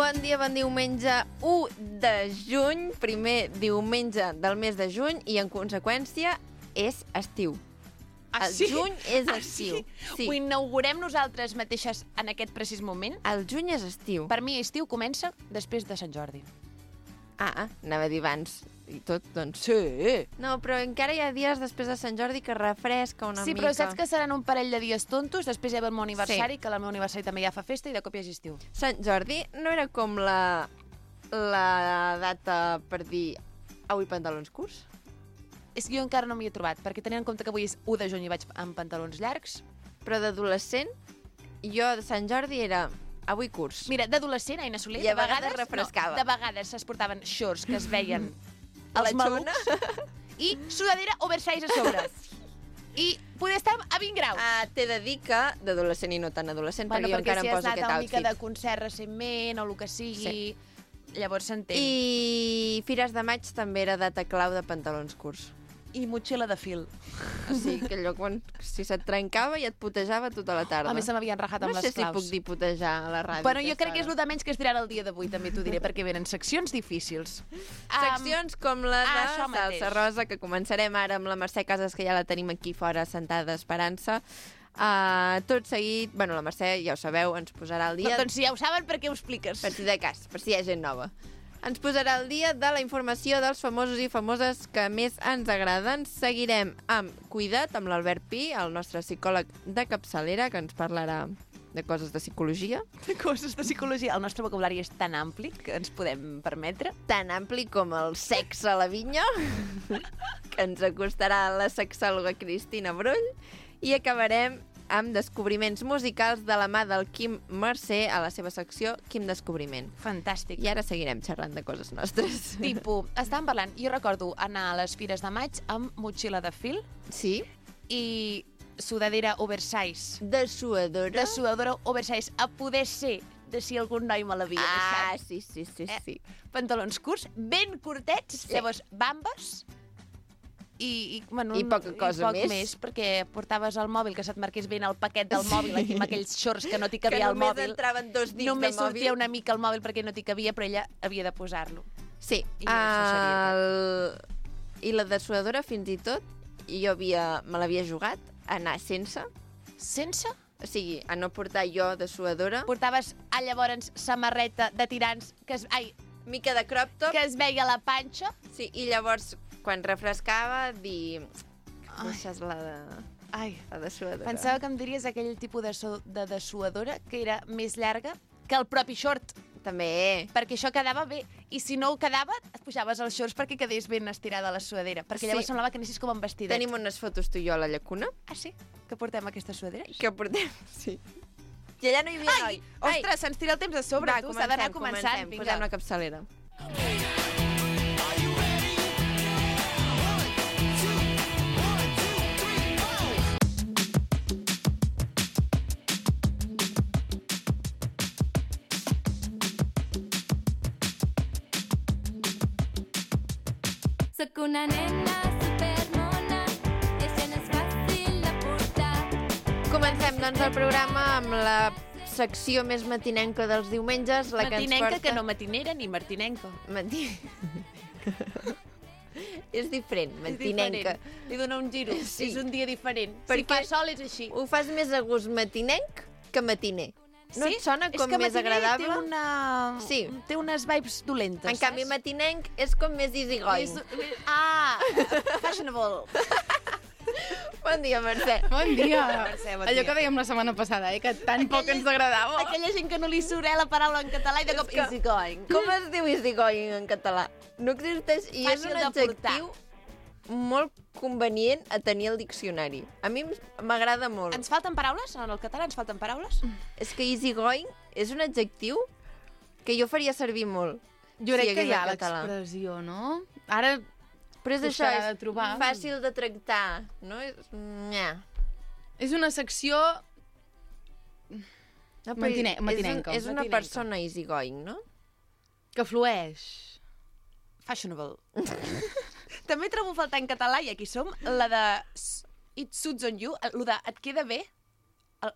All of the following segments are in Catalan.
Bon dia, bon diumenge 1 de juny, primer diumenge del mes de juny, i en conseqüència és estiu. El juny és estiu. Sí. Ho inaugurem nosaltres mateixes en aquest precís moment? El juny és estiu. Per mi estiu comença després de Sant Jordi. Anava a dir abans i tot, doncs. Sí. No, però encara hi ha dies després de Sant Jordi que refresca una mica. Sí, però saps que seran un parell de dies tontos, després hi ha el meu aniversari, que el meu aniversari també ja fa festa i de cop hi ha estiu. Sant Jordi no era com la data per dir avui pantalons curts? És que jo encara no m'hi he trobat, perquè tenint en compte que avui és 1 de juny i vaig amb pantalons llargs. Però d'adolescent, jo de Sant Jordi era avui curts. Mira, d'adolescent, Aina Soler, I a vegades refrescava. No, de vegades es portaven shorts que es veien A la els malucs i sudadera oversize a sobre. I poder estar a 20 graus. T'he de dir que d'adolescent i no tan adolescent, perquè jo encara em poso aquest outfit. Perquè si has anat una mica de concert recentment o el que sigui, llavors s'entén. I Fires de Maig també era data clau de pantalons curts. I motxilla de fil. O sigui, que allò quan si se't trencava i et putejava tota la tarda. A més, se m'havien rajat amb les claus. No sé si puc dir putejar a la ràdio. Bueno, jo crec que és el de menys que es diran el dia d'avui, també t'ho diré, perquè venen seccions difícils. Seccions com la de això mateix. Salsa Rosa, que començarem ara amb la Mercè Casas, que ja la tenim aquí fora sentada esperant-se. Tot seguit, bueno, la Mercè, ja ho sabeu, ens posarà al dia... Doncs si ja ho saben, per què ho expliques? Per si de cas, per si hi ha gent nova. Ens posarà al dia de la informació dels famosos i famoses que més ens agraden. Seguirem amb Cuida't, amb l'Albert Pi, el nostre psicòleg de capçalera, que ens parlarà de coses de psicologia. De coses de psicologia. El nostre vocabulari és tan ampli que ens podem permetre. Tan ampli com el sexe a la vinya, que ens acostarà la sexòloga Cristina Brull. I acabarem amb descobriments musicals de la mà del Quim Mercè a la seva secció Quim Descobriment. Fantàstic. I ara seguirem xerrant de coses nostres. Estàvem parlant, jo recordo anar a les Fires de Maig amb motxilla de fil. Sí. I sudadera oversize. De suadora. De suadora oversize. A poder ser de si algun noi me l'havia deixat. Sí. Pantalons curts, ben curtets, sí. Llavors bambes i poca cosa més, perquè portaves el mòbil, que se't marqués ben el paquet del mòbil, aquí amb aquells shorts que no t'hi cabia el mòbil. Que només entraven 2 dits només de mòbil. sortia una mica el mòbil perquè no t'hi cabia, però ella havia de posar-lo. Sí. I la dessuadora, fins i tot, jo me l'havia jugat a anar sense. Sense? O sigui, a no portar jo dessuadora. Portaves, llavors, samarreta de tirants, mica de crop top. Que es veia la panxa. Sí, i llavors, quan refrescava, dir... Deixes la dessuadora. Pensava que em diries aquell tipus de dessuadora que era més llarga que el propi short. També. Perquè això quedava bé. I si no ho quedava, et pujaves els shorts perquè quedés ben estirada la suadera. Perquè llavors semblava que anessis com amb vestidet. Tenim unes fotos tu i jo a la llacuna. Ah, sí? Que portem aquesta suadera? Que portem, sí. I allà no hi havia noi. Ostres, se'ns tira el temps a sobre, tu. S'ha d'anar començant. Posem la capçalera. Soc una nena supermona, i això no és fàcil de portar. Comencem, doncs, el programa amb la secció més matinenca dels diumenges. Matinenca, que no matinera ni martinenca. És diferent, matinenca. Li dona un giro, sí. És un dia diferent. Perquè si fa sol és així. Ho fas més a gust matinenc que matiner. No et sona com més agradable? Sí, té unes vibes dolentes, En canvi, matinenc és com més easygoing. Fashionable. Bon dia, Mercè. Bon dia. Mercè, bon Allò dia. que dèiem la setmana passada, que tan poc ens agradava. Aquella gent que no li surt la paraula en català i de cop easygoing. Com es diu easygoing en català? No existeix i és un adjectiu molt convenient a tenir al diccionari. A mi m'agrada molt. Ens falten paraules? En el català ens falten paraules? És que easygoing és un adjectiu que jo faria servir molt. Jo crec que hi ha l'expressió, no? Ara però és això, és trobar. Fàcil de tractar, no? És una secció matinenca. És una persona easygoing, no? Que flueix. Fashionable. També trobo a faltar en català, i aquí som, la de It suits on you, el de et queda bé,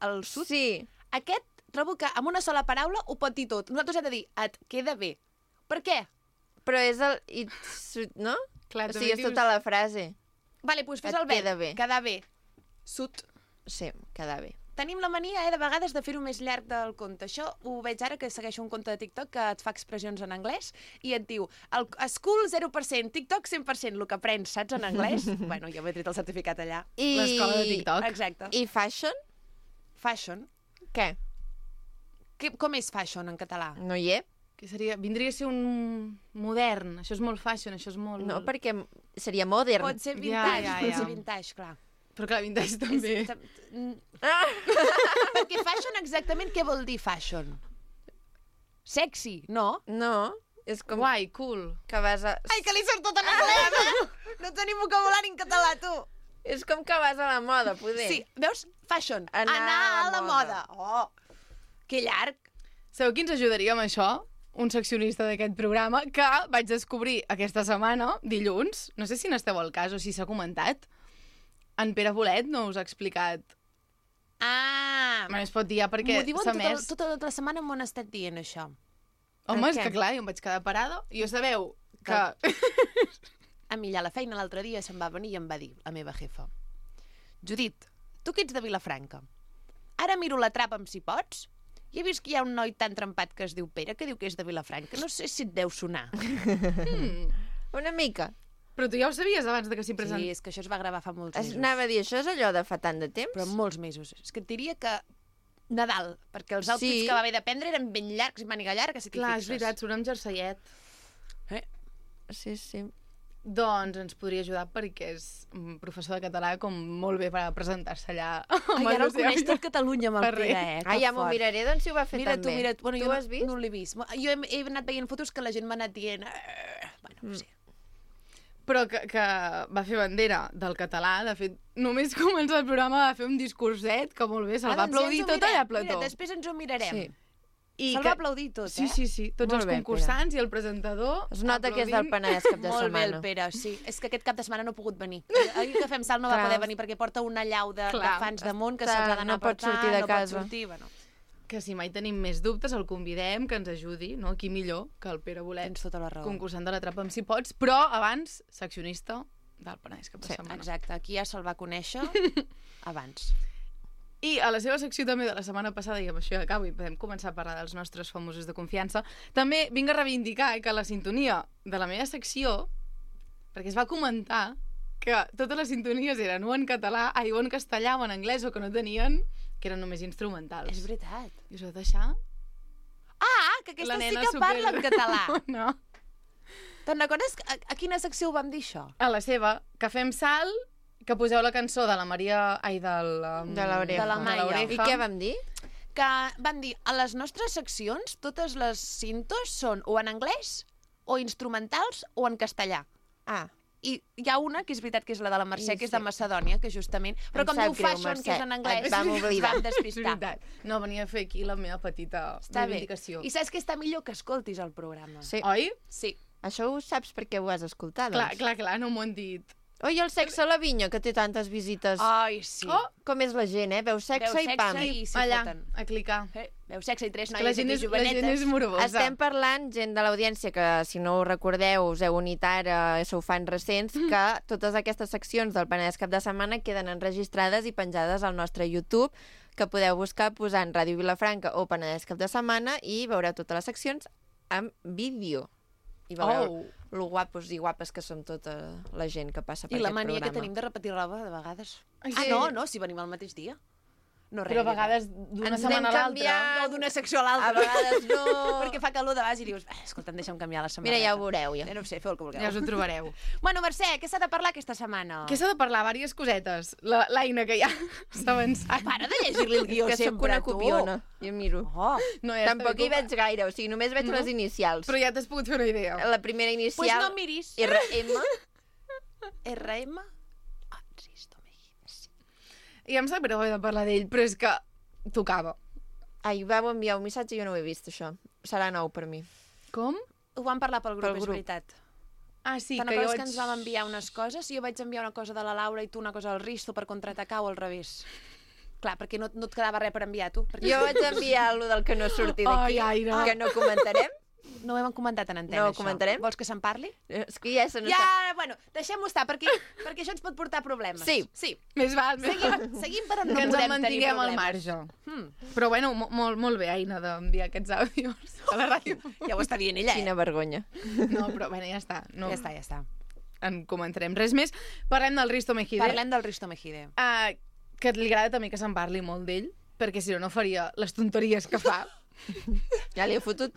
el sud. Sí. Aquest trobo que amb una sola paraula ho pot dir tot. Nosaltres hem de dir, et queda bé. Per què? Però és el... no? Clar, O sigui, és tota la frase. Vale, doncs fes Et el verb. queda bé. Quedar bé. Sut. Sí, queda bé. Tenim la mania, de vegades, de fer-ho més llarg del conte. Això ho veig ara que segueixo un conte de TikTok que et fa expressions en anglès i et diu, school 0%, TikTok 100%, el que aprens, saps, en anglès? Bueno, jo m'he tret el certificat allà. L'escola de TikTok. Exacte. I fashion? Fashion. Què? Com és fashion en català? No hi és? Que vindria a ser un modern. Això és molt fashion, això és molt... No, perquè seria modern. Pot ser vintage, Ja. pot ser vintage, clar. Però clar, vintage també. Perquè fashion, exactament, què vol dir fashion? Sexy, no? No, és com Guai, cool. que vas a... Ai, que li surt tot en anglès, eh? No tenim vocabulari en català, tu. És com que vas a la moda, poder. Sí, veus? Fashion. Anar a a la la moda. Oh, que llarg. Sabeu qui ens ajudaria amb això? Un seccionista d'aquest programa que vaig descobrir aquesta setmana, dilluns, no sé si n'esteu al cas o si s'ha comentat, en Pere Bolet no us ha explicat... Ah, Bueno, es pot dir ja perquè m'ho diuen s'ha més... tota la setmana m'ho han estat dient, això. Home, és què? que clar, jo em vaig quedar parada. I jo sabeu que... A mi allà a la feina l'altre dia se'm va venir i em va dir, la meva jefa, Judit, tu que ets de Vilafranca, ara miro la trapa amb si pots i he vist que hi ha un noi tan trempat que es diu Pere que diu que és de Vilafranca. No sé si et deu sonar. Una mica. Però tu ja ho sabies abans de que s'hi Sí, presentés. és que això es va gravar fa molts mesos. Anava a dir, això és allò de fa tant de temps? Però molts mesos. És que et diria que Nadal, perquè els outfits Sí. que va haver de prendre eren ben llargs, màniga llarga, si t'hi Clar, fixes. és veritat, surt amb jerseiet. Sí, sí. Doncs ens podria ajudar perquè és un professor de català com molt bé per presentar-se allà. Ai, ara el coneix tot Catalunya amb el Per res. Pere, Ah, ja m'ho miraré, doncs si ho va fer Mira tan tu, bé. mira tu. Bueno, Tu jo ho has vist? No l'he vist. Jo he anat veient fotos que la gent m'ha anat dient... Bueno, no sé. Però que va fer bandera del català. De fet, només començar el programa va fer un discurset que molt bé, se'l va doncs ja aplaudir ens ho tot allà a mirem. plató. Mira, després ens ho mirarem. Sí. I Se'l va aplaudir tot, Sí, eh? sí, sí. Tots Molt els bé, concursants i el presentador Es nota que és del aplaudint. Penedès cap de Molt bé setmana. el Pere, sí. És que aquest cap de setmana no ha pogut venir. Ahir que fem salt no va Clar. poder venir perquè porta una llau de Clar, fans damunt que està- se'ls ha d'anar no pot a portar, sortir de no casa. pot sortir, bueno. Que si mai tenim més dubtes el convidem, que ens ajudi, no? Qui millor que el Pere Bolet, Tens tota la raó. concursant de la trapa amb si pots, però abans, seccionista del Penedès cap de setmana. Exacte, aquí ja se'l va conèixer abans. I a la seva secció també de la setmana passada, i amb això ja acabo i podem començar a parlar dels nostres famosos de confiança, també vinc a reivindicar que la sintonia de la meva secció, perquè es va comentar que totes les sintonies eren o en català, o en castellà o en anglès, o que no tenien, que eren només instrumentals. És veritat. I us heu de deixar? Ah, que aquesta La sí nena que parla en català. No. Te'n recordes a quina secció ho vam dir, això? A la seva, que fem salt, que poseu la cançó de la Maria... Ai, del... De l'Oreja. De la Maia. I què vam dir? Que van dir, a les nostres seccions, totes les cintos són o en anglès, o instrumentals, o en castellà. Ah, I hi ha una, que és veritat que és la de la Mercè, I que és de sí. Macedònia, que justament... Però Em com sap diu greu, fashion, Mercè. que és en anglès, Et vam oblidar. vam És despistar. veritat. No, venia a fer aquí la meva petita Està bé. reivindicació. I saps que està millor que escoltis el programa. sí. Oi? Sí. Això ho saps perquè ho has escoltat, Clar, doncs. clar, clar, no m'ho han dit. Oi, el sexe a la vinya, que té tantes visites. Ai, sí. Oh, Com és la gent, Veu sexe, Veu i pam. sexe i s'hi allà, foten. a clicar. Veu sexe i tres Que noies la gent, aquí és, la jovenetes. gent és morbosa. Estem parlant, gent de l'audiència, que si no ho recordeu, us heu unit ara, sou fans recents, que totes aquestes seccions del Penedès Cap de Setmana queden enregistrades i penjades al nostre YouTube, que podeu buscar posant Ràdio Vilafranca o Penedès Cap de Setmana i veureu totes les seccions amb vídeo. I veureu lo guapos i guapes que som tota la gent que passa per I la aquest mania programa. que tenim de repetir roba, de vegades. Ai, Ah, sí. no, si venim el mateix dia. No, res, Però a res. vegades d'una Ens setmana a anem l'altra... canviant. No, d'una secció a A l'altra. vegades no. Perquè fa calor de base i dius, escolta, deixa'm canviar la samarreta. Mira, ja ho veureu, ja. No ho sé, feu el que vulgueu. Ja us ho trobareu. Bueno, Mercè, què s'ha de parlar aquesta setmana? Què s'ha de parlar? Vàries cosetes. L'Aina, que ja s'ha avançat. Para de llegir-li el guió que sóc sempre, una tu. copiona. Jo miro. Oh, No, ja Tampoc està hi bé, veig gaire, o sigui, només veig les inicials. Però ja t'has pogut fer una idea. La primera pues inicial, no miris. RM, RM. Ah, insisto, imagines. I em sap greu haver de parlar d'ell, però és que tocava. ai, vau enviar un missatge i jo no ho he vist, això. Serà nou per mi. Com? Ho vam parlar pel grup, Pel és grup. veritat. Ah, sí, Te'n que jo recordes vaig... que ens vam enviar unes coses? Jo vaig enviar una cosa de la Laura i tu una cosa al Risto per contraatacar o al revés? Clar, perquè no et quedava res per enviar, tu. Perquè Jo vaig enviar lo del que no surti d'aquí, Ai, Aina. que no comentarem. no ho hem comentat en antena, No ho això. comentarem? Vols que se'n parli? És que ja se n'està... Ja, bueno, deixem-ho estar, perquè això ens pot portar problemes. Sí. Més val, més val. Seguim per on no Que ens en podem tenir mantinguem al problemes. marge. Però bueno, molt bé, Aina, d'enviar aquests àudios a la ràdio. Ja ho està dient ella, Quina vergonya. No, però bueno, ja està. No Ja està. en comentarem res més. Parlem del Risto Mejide. Parlem del Risto Mejide. Que li agrada també que se'n parli molt d'ell, perquè si no, no faria les tonteries que fa. Ja li he fotut.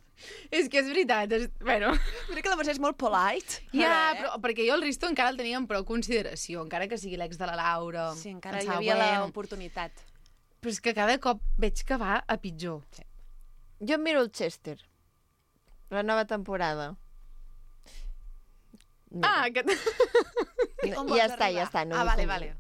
És que és veritat. Bueno, Mira que la Mercè és molt polite. ja, però perquè jo el Risto encara el tenia amb prou consideració, encara que sigui l'ex de la Laura. Sí, encara el hi havia següent. l'oportunitat. Però és que cada cop veig que va a pitjor. Jo em miro el Chester. La nova temporada. Que... On vols Ja està, arribar? ja està. No vale, com- vale.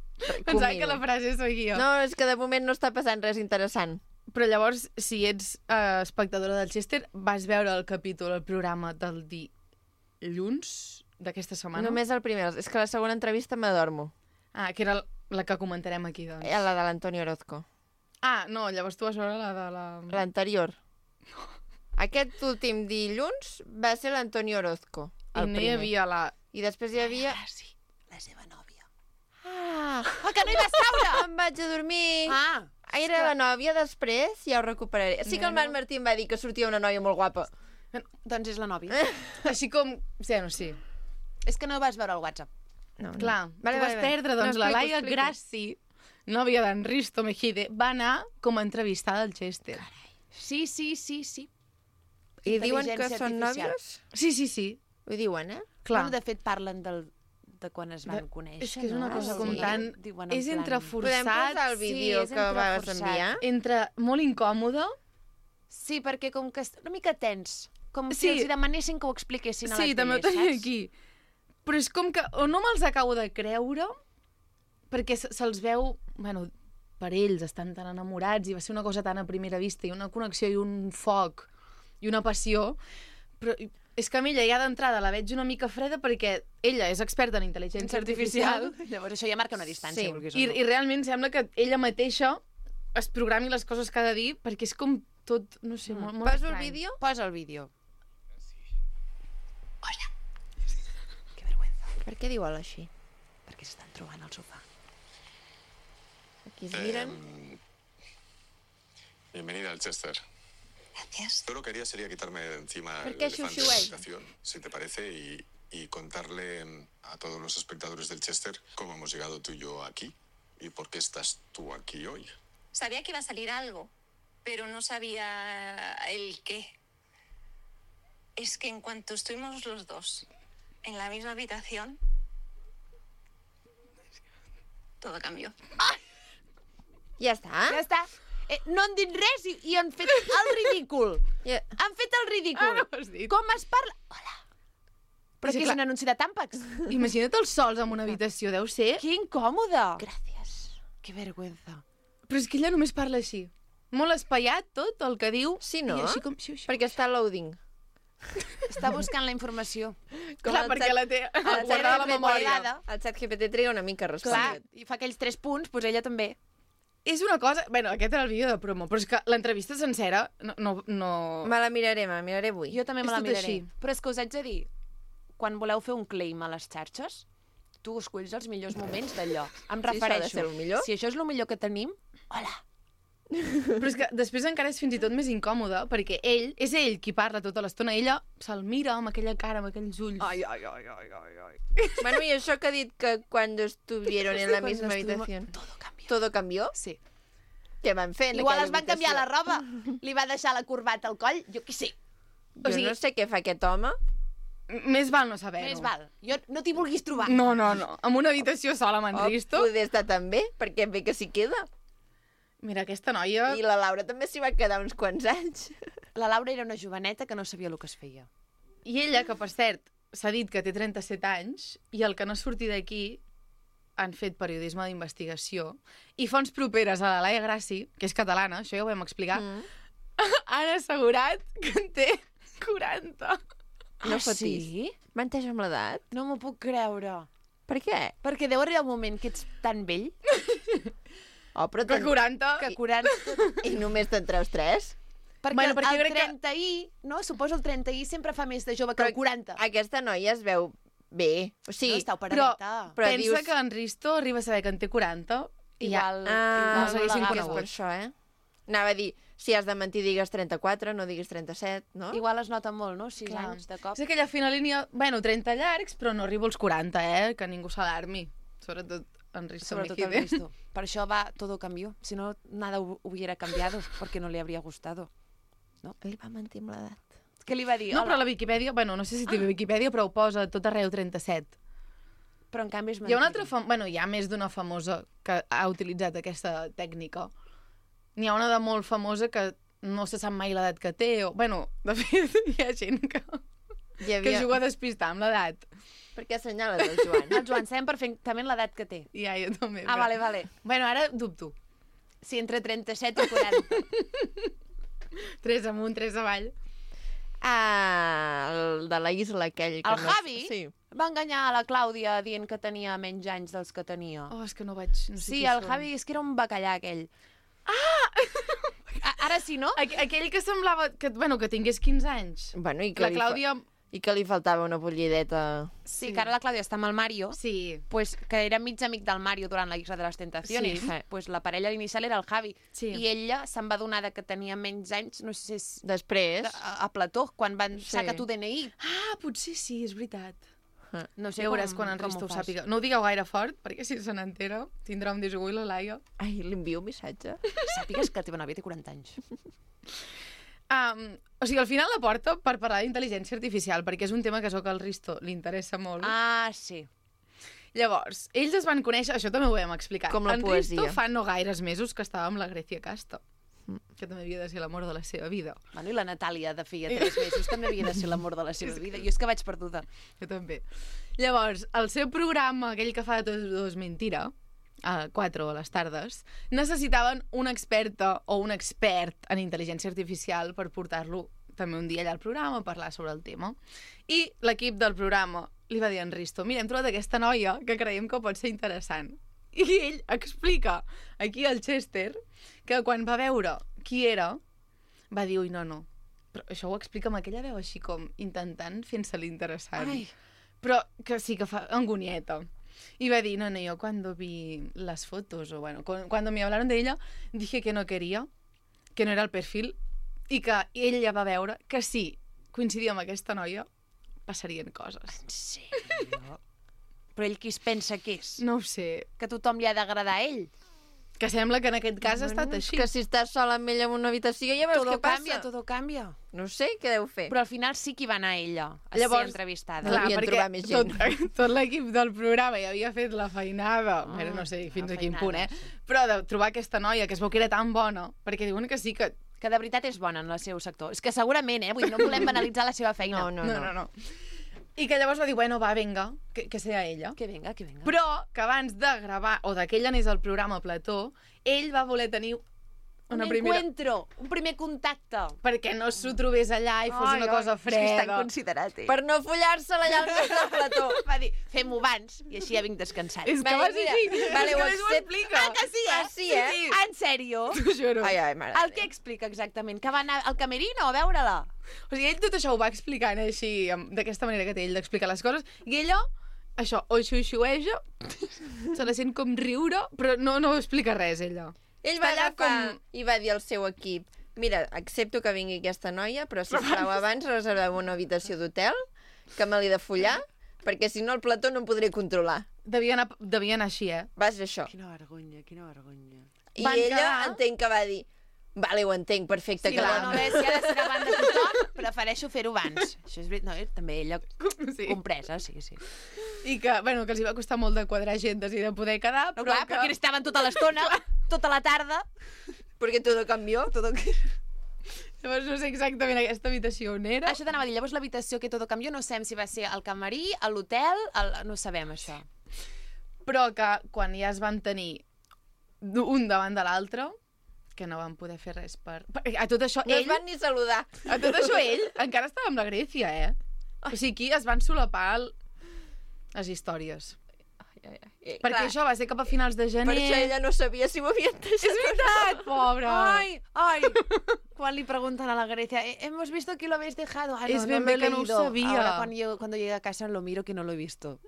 Pensava que la frase soy jo. No, és que de moment no està passant res interessant. Però llavors, si ets espectadora del Chester, vas veure el capítol, el programa del dilluns d'aquesta setmana? Només el primer. És que la segona entrevista m'adormo. Que era la que comentarem aquí, doncs. La de l'Antonio Orozco. No, llavors tu vas veure la de la... L'anterior. Aquest últim dilluns va ser l'Antonio Orozco. I no hi havia la... I després hi havia... Sí, la seva nòvia. Que no hi vas caure! Em vaig a dormir. Era la nòvia, després ja ho recuperaré. Sí que el Marc Martí em va dir que sortia una noia molt guapa. Doncs és la nòvia. Així com... Sí. És que no vas veure el WhatsApp. No. Clar, tu vas perdre, doncs la Laia Grassi, nòvia d'en Risto Mejide, va anar com a entrevistada al Chester. Sí. I diuen que Intel·ligència són artificial. nòvios? Sí. Ho diuen, Clar. Bueno, de fet, parlen de quan es van conèixer, És que és una no? cosa Sí. com tan... Diuen en És entre plan- Podem forçat, posar el vídeo és que entre vas forçat. enviar? entre molt incòmode. Sí, perquè com que una mica tens, com Sí. si els demanessin que ho expliquessin a la Sí, tele, també ho tenia saps? aquí. Però és com que o no me'ls acabo de creure, perquè se'ls veu... Bueno, per ells estan tan enamorats i va ser una cosa tan a primera vista i una connexió i un foc i una passió, però és que amb ella ja d'entrada la veig una mica freda perquè ella és experta en intel·ligència artificial Llavors això ja marca una distància. Sí. vulguis o i, no. i realment sembla que ella mateixa es programi les coses que ha de dir perquè és com tot, no sé, molt Poso el estrany. vídeo? Posa el vídeo. Hola. Que vergüenza. Per què diu hola així? Perquè s'estan trobant al sofà. Aquí es miren. Bienvenida al Chester. Gracias. Yo lo que haría sería quitarme de encima ¿Por el qué elefante de Shushu la él? habitación, si te parece, y contarle a todos los espectadores del Chester cómo hemos llegado tú y yo aquí y por qué estás tú aquí hoy. Sabía que iba a salir algo, pero no sabía el qué. Es que en cuanto estuvimos los dos en la misma habitación, todo cambió. Ja està? Ja està. No han dit res i han fet el ridícul. Ja. Han fet el ridícul. No ho has dit. Com es parla? Hola. Però Sí, que és clar. un anunci de tàmpacs. Imagina't els sols en una habitació, deu ser... Que incòmode. Gràcies. Que vergüenza. Però és que ella només parla així. Molt espaiat tot el que diu. Sí, no? I així com... Sí. Perquè està loading. Està buscant la informació. Clar, el perquè xat- la té el guardada a la xat memòria. GPT El xat GPT triga una mica a Clar, respondre. i fa aquells 3 punts, doncs ella també. És una cosa... Bueno, aquest era el vídeo de promo, però és que l'entrevista sencera no... Me la miraré avui. Jo també me És la tot miraré. així. Però és que us haig de dir, quan voleu fer un claim a les xarxes, tu escolls els millors moments d'allò. Em Sí, això ha de refereixo. ser el millor. Si això és el millor que tenim, hola. Però és que després encara és fins i tot més incòmode, perquè és ell qui parla tota l'estona. Ella se'l mira amb aquella cara, amb aquells ulls. Ai. Bueno, i això que ha dit que quan estuvieron en la Cuando misma estuvimos- habitación, Todo cambió. todo cambió? Sí. Què van fer en Igual aquella es van canviar la habitació? roba, li va deixar la corbata al coll, jo què sé. Jo O sigui- no sé què fa aquest home. Més val no saber-ho. Més val. Jo no t'hi vulguis trobar. No. Amb una habitació sola amb en O Risto. poder estar també, perquè bé que s'hi queda. Mira, aquesta noia... I la Laura també s'hi va quedar uns quants anys. La Laura era una joveneta que no sabia el que es feia. I ella, que per cert, s'ha dit que té 37 anys, i el que no surti d'aquí han fet periodisme d'investigació, i fonts properes a la Laia Grassi, que és catalana, això ja ho vam explicar, han assegurat que en té 40. No fotis. Sí? Menteix amb l'edat? No m'ho puc creure. Per què? Perquè deu arribar un moment que ets tan vell. Oh, però Que 40... Que 40... I només te'n treus 3? Perquè, Bueno, perquè jo el crec que- 30i, no? Suposo el 30i sempre fa més de jove que el 40. Aquesta noia es veu bé. O No sigui, està però, operadeta. però pensa dius- que en Risto arriba a saber que en té 40 i ja... Igual, Ah, igual no s'haguessin l'agafa. és per això, Anava a dir, si has de mentir digues 34, no diguis 37, no? Igual es nota molt, no? 6 Clar. anys de cop. És aquella fina línia... Bueno, 30 llargs, però no arribo als 40, Que ningú s'alarmi. Sobretot en Risto Sobretot el Mejide. Risto. Per això va, todo cambió. Si no, nada hubiera cambiado, porque no le habría gustado. Ell va mentir amb l'edat. Què li va dir? No, però Hola. la Viquipèdia... Bueno, no sé si té Viquipèdia, però ho posa tot arreu 37. Però en canvi és Hi ha una altra... mentida. Bueno, hi ha més d'una famosa que ha utilitzat aquesta tècnica. N'hi ha una de molt famosa que no se sap mai l'edat que té. O... Bueno, de fet, hi ha gent que Hi juga a despistar amb l'edat. Per què assenyales el Joan? El Joan sabem perfectament l'edat que té. Ja, jo també. Ah, però- vale. Bueno, ara dubto. Sí, entre 37 i 40. 3 amunt, 3 avall. Ah, el de la isla aquell. Que El Javi? Sí. Va enganyar a la Clàudia dient que tenia menys anys dels que tenia. Oh, és que no vaig... No sé Sí, qui el són. Javi és que era un bacallà, aquell. Ah! Ara sí, no? Aquell que semblava que, bueno, que tingués 15 anys. Bueno, i que, La Clàudia... I que li faltava una bullideta. Sí, que ara la Clàudia està amb el Mario, Sí. pues, que era mig amic del Mario durant la Isla de les Tentaciones. Sí. Pues la parella inicial era el Javi. Sí. I ella se'n va donar de que tenia menys anys, no sé si és Després... a Plató, quan van Sí. sacar tu DNI. Ah, potser sí, és veritat. No sé Ja veuràs quan en com Risto ho fas. sàpiga. No ho digueu gaire fort, perquè si se n'entera tindrà un disgust la Laia. Ai, li envio un missatge. Sàpigues que la teva nòvia té 40 anys. O sigui, al final la porta per parlar d'intel·ligència artificial, perquè és un tema que so que al Risto li interessa molt. Ah, sí. Llavors, ells es van conèixer, això també ho vam explicar. Com la en poesia. Risto fa no gaires mesos que estava amb la Grecia Casta, que també havia de ser l'amor de la seva vida. Bueno, i la Natàlia de feia 3 mesos també havia de ser l'amor de la seva vida. Jo és que vaig perduda. Jo també. Llavors, el seu programa, aquell que fa de tot és mentira, a 4 a les tardes, necessitaven una experta o un expert en intel·ligència artificial per portar-lo també un dia allà al programa a parlar sobre el tema. I l'equip del programa li va dir a en Risto, mira, hem trobat aquesta noia que creiem que pot ser interessant. I ell explica aquí al Chester que quan va veure qui era, va dir, ui, no. Però això ho explica amb aquella veu així com intentant fent-se l'interessant. Ai. Però que sí que fa angonieta. Y va a decir, no, yo cuando vi las fotos, o bueno, cuando me hablaron de ella, dije que no quería, que no era el perfil, i que ella va veure que si coincidia amb aquesta noia, passarien coses. En sèrio? Però ell qui es pensa que és? No ho sé. Que tothom li ha d'agradar a ell? Que sembla que en aquest cas ha estat així. Que si estàs sola amb ella en una habitació ja veus Todo què passa. canvia, todo canvia. No sé què deu fer. Però al final sí que hi va anar ella a ser entrevistada. Clar, devien trobar més gent. tot l'equip del programa ja havia fet la feinada, no sé fins la a quin punt, feinada, però de trobar aquesta noia que es veu que era tan bona, perquè diuen que sí que... Que de veritat és bona en el seu sector. És que segurament, vull dir, no volem banalitzar la seva feina. No. I que llavors va dir, bueno, va, venga, que sea ella. Que venga, que venga. Però que abans de gravar, o de que ell anés al programa Plató, ell va voler tenir una primera... encuentro, un primer contacte. Perquè no s'ho trobés allà i fos una cosa És que és tan freda. considerat, Per no follar-se-la allà al mig del plató. Va dir, fem-ho abans i així ja vinc descansat. És que Vale, va ser mira, així. vale, És ho que més ho accepto. explica. Ah, que sí, Ah, sí, eh? Ah, en sèrio? T'ho juro. Ai, mare. El que explica exactament? Que va anar al camerino a veure-la? O sigui, ell tot això ho va explicant així, d'aquesta manera que té ell d'explicar les coses, i ella, això, o xiu-xiueja, se la sent com riure, però no explica res, ella. Ell va Està allà agafar i va dir al seu equip, mira, accepto que vingui aquesta noia, però sisplau, abans reserveu una habitació d'hotel, que me l'he de follar, perquè si no el plató no em podré controlar. Devia anar així, Va ser això. Quina vergonya, quina vergonya. I Van ella quedar- entenc que va dir, vale, ho entenc, perfecte, Sí, que clar, No, no, bé, si ha de ser davant de tothom, prefereixo fer-ho abans. Això és veritat. No, també ella Sí. compresa, sí. I que, bueno, que els hi va costar molt de quadrar agendes i de poder quedar, No, però clar, perquè estaven tota l'estona, tota la tarda. perquè tot canvió. Llavors no sé exactament aquesta habitació on era. Això t'anava a dir, llavors l'habitació que tot canvió, no sabem si va ser al camarí, a l'hotel, no sabem això. Però que quan ja es van tenir un davant de l'altre, que no van poder fer res per... A tot això, No ell... es van ni saludar. A tot això, ell encara estava amb la Grècia, O sigui, aquí es van solapar les històries. Perquè clar, això va ser cap a finals de gener. per això ella no sabia si ho havien deixat. És veritat, pobra. Ay. Cuando le preguntan a la Grecia, hemos visto que lo habéis dejado. Ah, no, Es bien no lo he que no ho leído. sabia. Ahora cuando llegue a casa lo miro que no lo he visto.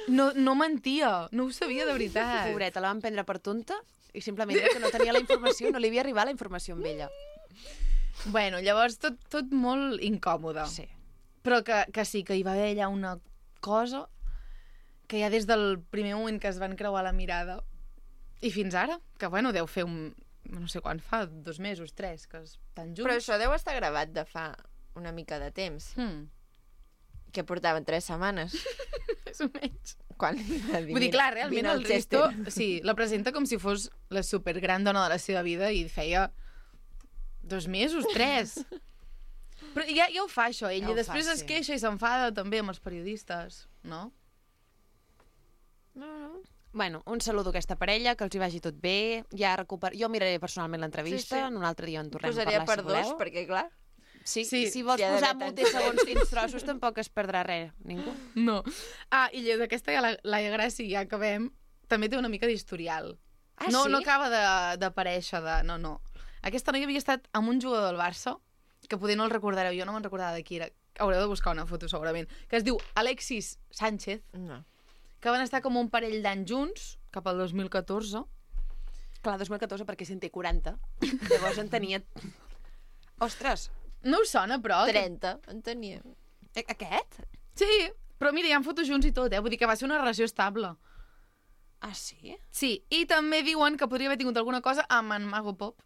No mentia, no ho sabia de veritat. Pobreta, la van prendre per tonta i simplement era que no tenia la informació, no li havia arribat la informació amb ella. Bueno, llavors tot molt incòmode. Sí. Però que sí, que hi va haver allà una cosa que ja des del primer moment que es van creuar la mirada i fins ara, que bueno, deu fer no sé quan fa, 2 mesos, 3, que estan junts. Però això deu estar gravat de fa una mica de temps, que portaven 3 setmanes. Més o menys. Quan li va dir, Vull dir, clar, realment vine al el Risto Chester. sí, la presenta com si fos la supergran dona de la seva vida i feia 2 mesos, 3. Però ja ho fa, això, ell. Ja ho I després fa, es sí. queixa i s'enfada també amb els periodistes, no? Bueno, un saludo a aquesta parella, que els hi vagi tot bé. Jo miraré personalment l'entrevista, Sí, sí. en un altre dia en tornem a Posaria parlar, per si voleu. 2, perquè clar... Sí, Sí, si vols si ha posar d'haver multes tants segons quins trossos, tampoc es perdrà res, ningú. No. I d'aquesta ja Laia Gràcia, ja acabem, també té una mica d'historial. Ah, no, sí? no acaba d'aparèixer, No. Aquesta noia havia estat amb un jugador del Barça, que poder no el recordareu, jo no me'n recordava de qui era, haureu de buscar una foto segurament, que es diu Alexis Sánchez, No. que van estar com un parell d'anys junts, cap al 2014. Clar, 2014, perquè si en té 40. Llavors en tenia... Ostres, No us sona, però? 30, en tenia. aquest? Sí, però mira, hi ha fotos junts i tot, Vull dir que va ser una relació estable. Ah, sí? Sí, i també diuen que podria haver tingut alguna cosa amb en Mago Pop.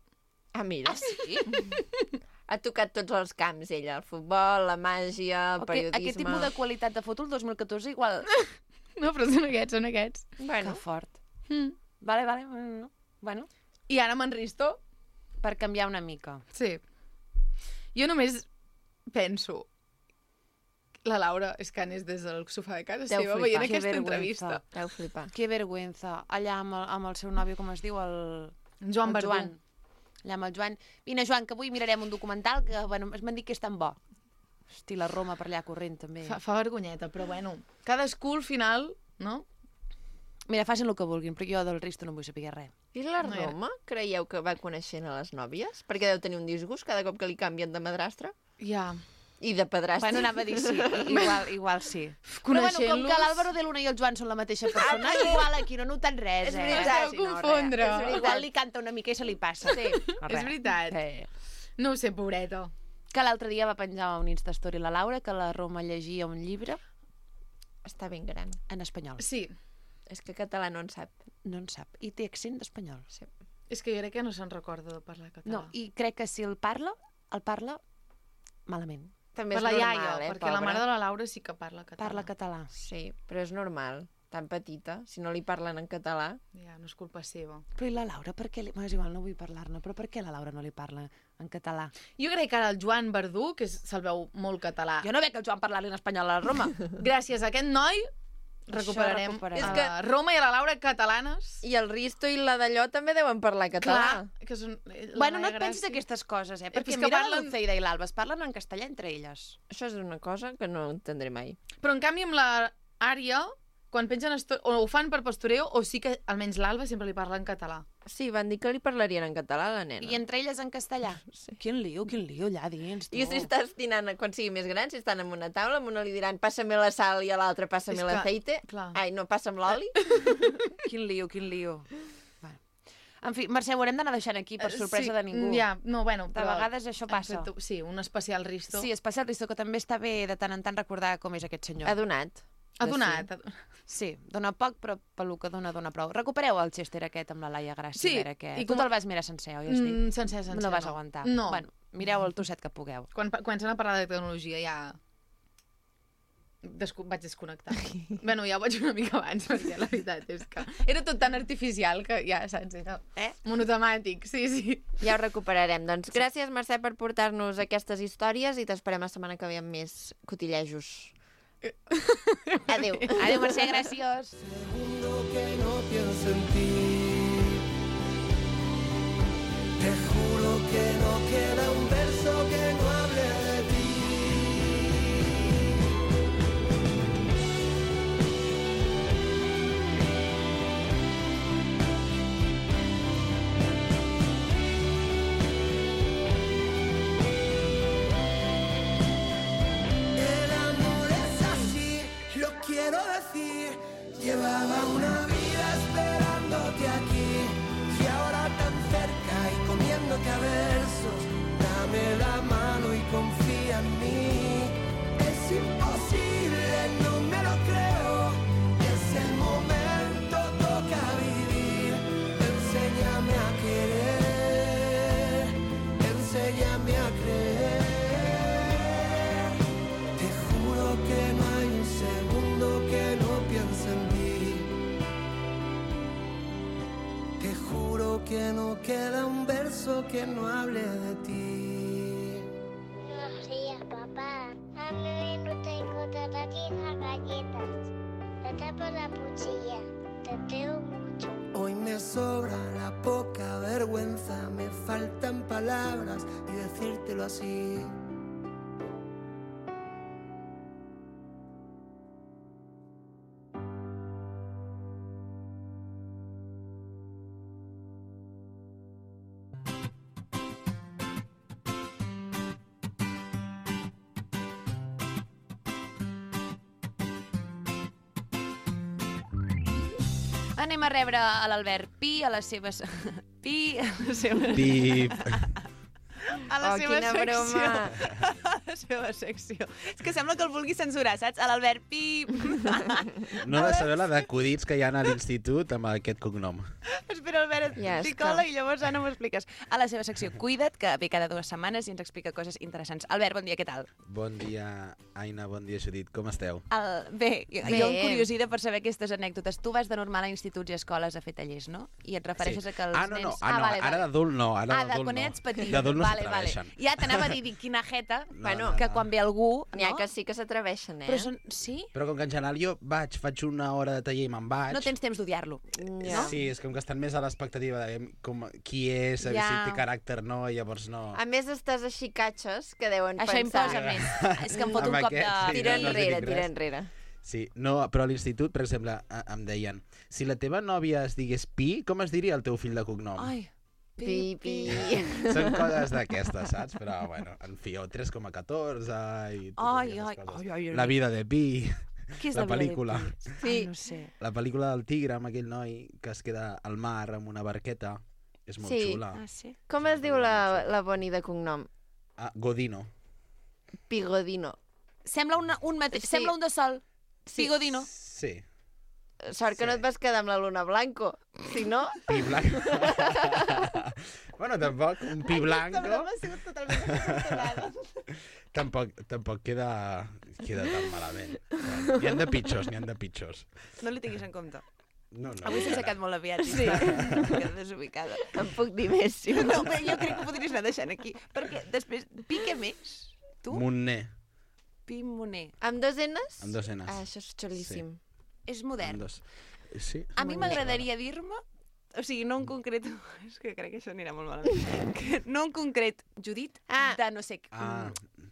Ah, mira. Ah, sí? Ha tocat tots els camps, ella. El futbol, la màgia, el periodisme... Aquest tipus de qualitat de foto el 2014 igual... No, però són aquests. Bueno, Que fort. Mm. Vale. Bueno, I ara amb en Risto, per canviar una mica. sí. Jo només penso... La Laura és que anés des del sofà de casa Deu seva flipar. veient Que aquesta vergüenza. entrevista. deu flipar. Que vergüenza. Allà amb el seu nòvio, com es diu? Joan el Verdú. Joan. Allà amb el Joan. Vine, Joan, que avui mirarem un documental que, bueno, m'han dit que és tan bo. Hosti, la Roma per allà corrent, també. Fa vergonyeta, però bueno. Cadascú al final, no? Mira, facin el que vulguin, però jo del Risto no vull saber res. I la No hi ha. Roma, creieu que va coneixent a les nòvies? Perquè deu tenir un disgust cada cop que li canvien de madrastra Ja. i de padrastre. Bueno, anava a dir sí, igual sí. Però bueno, com Coneixent-los... que l'Àlvaro de Luna i el Joan són la mateixa persona, igual aquí no noten res, És veritat. Es deu confondre. És veritat. Igual li canta una mica i se li passa. Sí. No, És res. veritat. No ho sé, pobreta. Que l'altre dia va penjar un Instastory la Laura que la Roma llegia un llibre Està ben gran. en espanyol. Sí, És que català no en sap. No en sap. I té accent d'espanyol. Sí. és que jo crec que no se'n recorda de parlar català. No, i crec que si el parla malament. També Per és la normal, iaia, perquè pobra. la mare de la Laura sí que parla català. Parla català. Sí, però és normal. Tan petita, si no li parlen en català... Ja, no és culpa seva. Però i la Laura, per què... És igual, no vull parlar-ne, però per què la Laura no li parla en català? Jo crec que ara el Joan Verdú, que se'l veu molt català, Jo no veig el Joan parlar-li en espanyol a la Roma. gràcies a aquest noi recuperarem recuperarem. a la Roma i a la Laura catalanes. I el Risto i la d'allò també deuen parlar català. que són... Bueno, no et pensis aquestes coses, perquè que mira parlen- l'Ulceida i l'Alba, es parlen en castellà entre elles. Això és una cosa que no entendré mai. Però en canvi amb la Ària, quan pengen o ho fan per postureo, o sí que almenys l'Alba sempre li parla en català. Sí, van dir que li parlarien en català a la nena. I entre elles en castellà. Sí. Quin lío allà dins, tu. I si estàs dinant, quan sigui més gran, si estan en una taula, a una li diran passa-me la sal i a l'altra passa-me És que, l'aceite. clar. Ai, no, passa'm l'oli. Quin lío. Bueno. En fi, Mercè, ho haurem d'anar deixant aquí per sorpresa de ningú. Ja, no, bueno, De però... vegades això passa. hem fet, sí, un especial Risto. Sí, especial Risto, que també està bé de tant en tant recordar com és aquest senyor. Ha donat. Ha donat. Sí, dona poc, però pel que dona prou. Recupereu el Chester aquest amb la Laia Gràcia. Sí, a veure què... i Tu com- te'l vas mirar sencer, oi? Has dit? Sencer. No vas aguantar. No. Bueno, mireu el trosset que pugueu. Quan comencen a parlar de tecnologia ja... vaig desconnectar. Bueno, ja ho vaig una mica abans, perquè la veritat és que... Era tot tan artificial que ja, saps? Era monotemàtic, sí. Ja ho recuperarem. Doncs gràcies, Mercè, per portar-nos aquestes històries i t'esperem la setmana que ve amb més cotillejos. Adéu. Adéu, Mercè, gràcies. Segundo que no pienso en ti. Te juro que no queda un verso que no hable de ti. que no queda un verso que no hable de ti. Buenos días, papá. A mí no tengo las galletas. Te tapo la cuchilla. Te veo mucho. Hoy me sobra la poca vergüenza, me faltan palabras y decírtelo así. Anem a rebre a l'Albert Pi a les seves... Pi a la seva... Pip. A la Oh, seva quina secció. broma. A la seva secció. És que sembla que el vulgui censurar, saps? A l'Albert Pi... No ha de saber la d'acudits que hi ha a l'institut amb aquest cognom. Espera, Albert, Ja et està. picola i llavors Anna m'ho expliques. A la seva secció Cuida't, que ve cada 2 setmanes i ens explica coses interessants. Albert, bon dia, què tal? Bon dia, Aina, bon dia, Judit. Com esteu? Bé, Bé. jo em curiosida per saber aquestes anècdotes. Tu vas de normal a instituts i escoles a fer tallers, no? I et refereixes a que els no, nens... vale, ara d'adult no. Ara d'adult quan no. ets petit. D'adult no vale. s'atreveixen. Ja t'anava a dir quina jeta, No, que no. quan ve algú... N'hi ha no? que sí que s'atreveixen, Però són... Sí? Però com que en general jo faig una hora de taller i me'n vaig... No tens temps d'odiar-lo. Ja. Sí, és com que estan més a l'expectativa de qui és, a Ja. si té caràcter o no, i llavors no... A més, estàs així catxes que deuen Això pensar... imposa més. És que em fot un Amb cop de... aquest, sí. Tira no dic enrere, res. tira enrere. Sí, no, però a l'institut, per exemple, em deien si la teva nòvia es digués Pi, com es diria el teu fill de cognom? Ai, Pi, pi. Són coses d'aquestes, saps? Però, bueno, en fi, o 3,14 i totes Ai, aquestes coses. ai. La vida de Pi, Què és la vida de pel·lícula. Pi? Sí. Ai, no sé. La pel·lícula del tigre amb aquell noi que es queda al mar amb una barqueta. És molt Sí. xula. Ah, sí? Com es diu la Boni de cognom? Ah, Godino. Pigodino. Sembla un mateix. Sí. Sembla un de sol. Sí. Pigodino. Sí. Sort que no et vas quedar amb la Luna Blanco. Si no... Pi blanco. Bueno, tampoc, un pi blanco ha sigut totalment descontrolada. tampoc queda tan malament. Bueno, n'hi han de pitjors, n'hi han de pitjors. No li tinguis en compte. No, Avui s'ha encara. aixecat molt aviat. Sí. Està desubicada. En puc dir més, si No, no. però jo crec que podries anar deixant aquí. Perquè després, Pi què més? Tu? Montner, Pi Moner. Amb dos enes? amb dos enes. Ah, això és xulíssim. És modern. Amb dos. Sí. A mi m'agradaria dir-me, o sigui, no en concret, és que crec que això anirà molt malament, que no en concret, Judit, Ah. de no sé,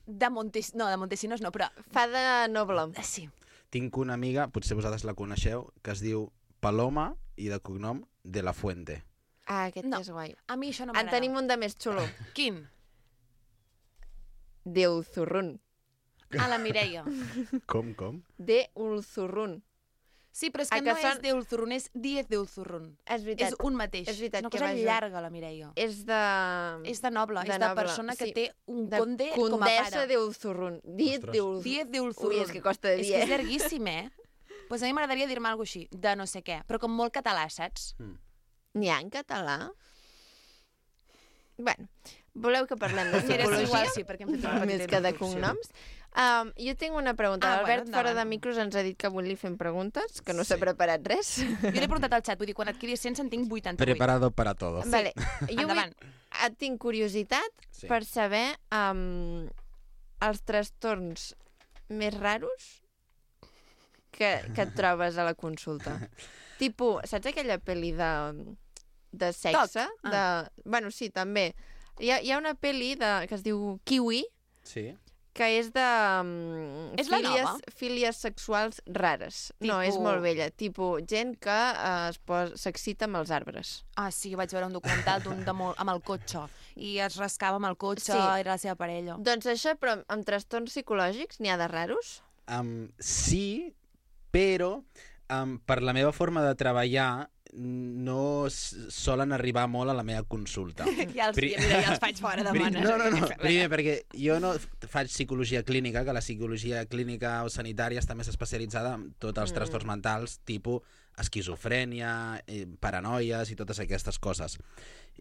de Montesinos no, però... Fa de noble. Sí. Tinc una amiga, potser vosaltres la coneixeu, que es diu Paloma i de cognom de la Fuente. Ah, aquest No. és guai. A mi això no En m'agrada. tenim un de més xulo. Quin? De Ulzurrun. A la Mireia. Com? De Ulzurrun. Sí, però és A que que no és de Ulzurrun, és Díez de Ulzurrun. És veritat. És un mateix. És veritat És una que cosa va junts. llarga, la Mireia. És de... És de noble, de és de noble, persona que sí. té un de conde com a Condessa pare. de Ulzurrun. Diet Ostres. de Ulzurrun. Díez de Ulzurrun. Ui, és que costa de És dir, que és eh? llarguíssim, Pues a mi m'agradaria dir-me alguna cosa així, de no sé què, però com molt català, saps? N'hi ha en català? Bueno, voleu que parlem de Mira, és psicologia? igual, sí, perquè hem fet una Més petita que de introducció. cognoms. Jo tinc una pregunta. Ah, L'Albert, bueno, fora de endavant. micros, ens ha dit que avui li fem preguntes, que no s'ha Sí. preparat res. Jo l'he portat al xat, vull dir, quan adquiris 100 en tinc 88. Preparado para todo. Vale. Jo Endavant. tinc curiositat Sí. per saber els trastorns més raros que et trobes a la consulta. Tipo, saps aquella pel·li de sexe? Toc. Bueno, sí, també. Hi ha una pel·li que es diu Kiwi, Sí. que és de És la nova? fílies sexuals rares. No, és Tipo- molt vella. Tipo, gent que s'excita amb els arbres. Ah, sí, vaig veure un documental d'un amb el cotxe, i es rascava amb el cotxe, Sí. era la seva parella. Doncs això, però amb trastorns psicològics, n'hi ha de raros? Sí, però per la meva forma de treballar no solen arribar molt a la meva consulta. Ja els faig fora de mans. No. Primer, perquè jo no faig psicologia clínica, que la psicologia clínica o sanitària està més especialitzada en tots els trastorns mentals, tipus esquizofrènia, paranoies i totes aquestes coses.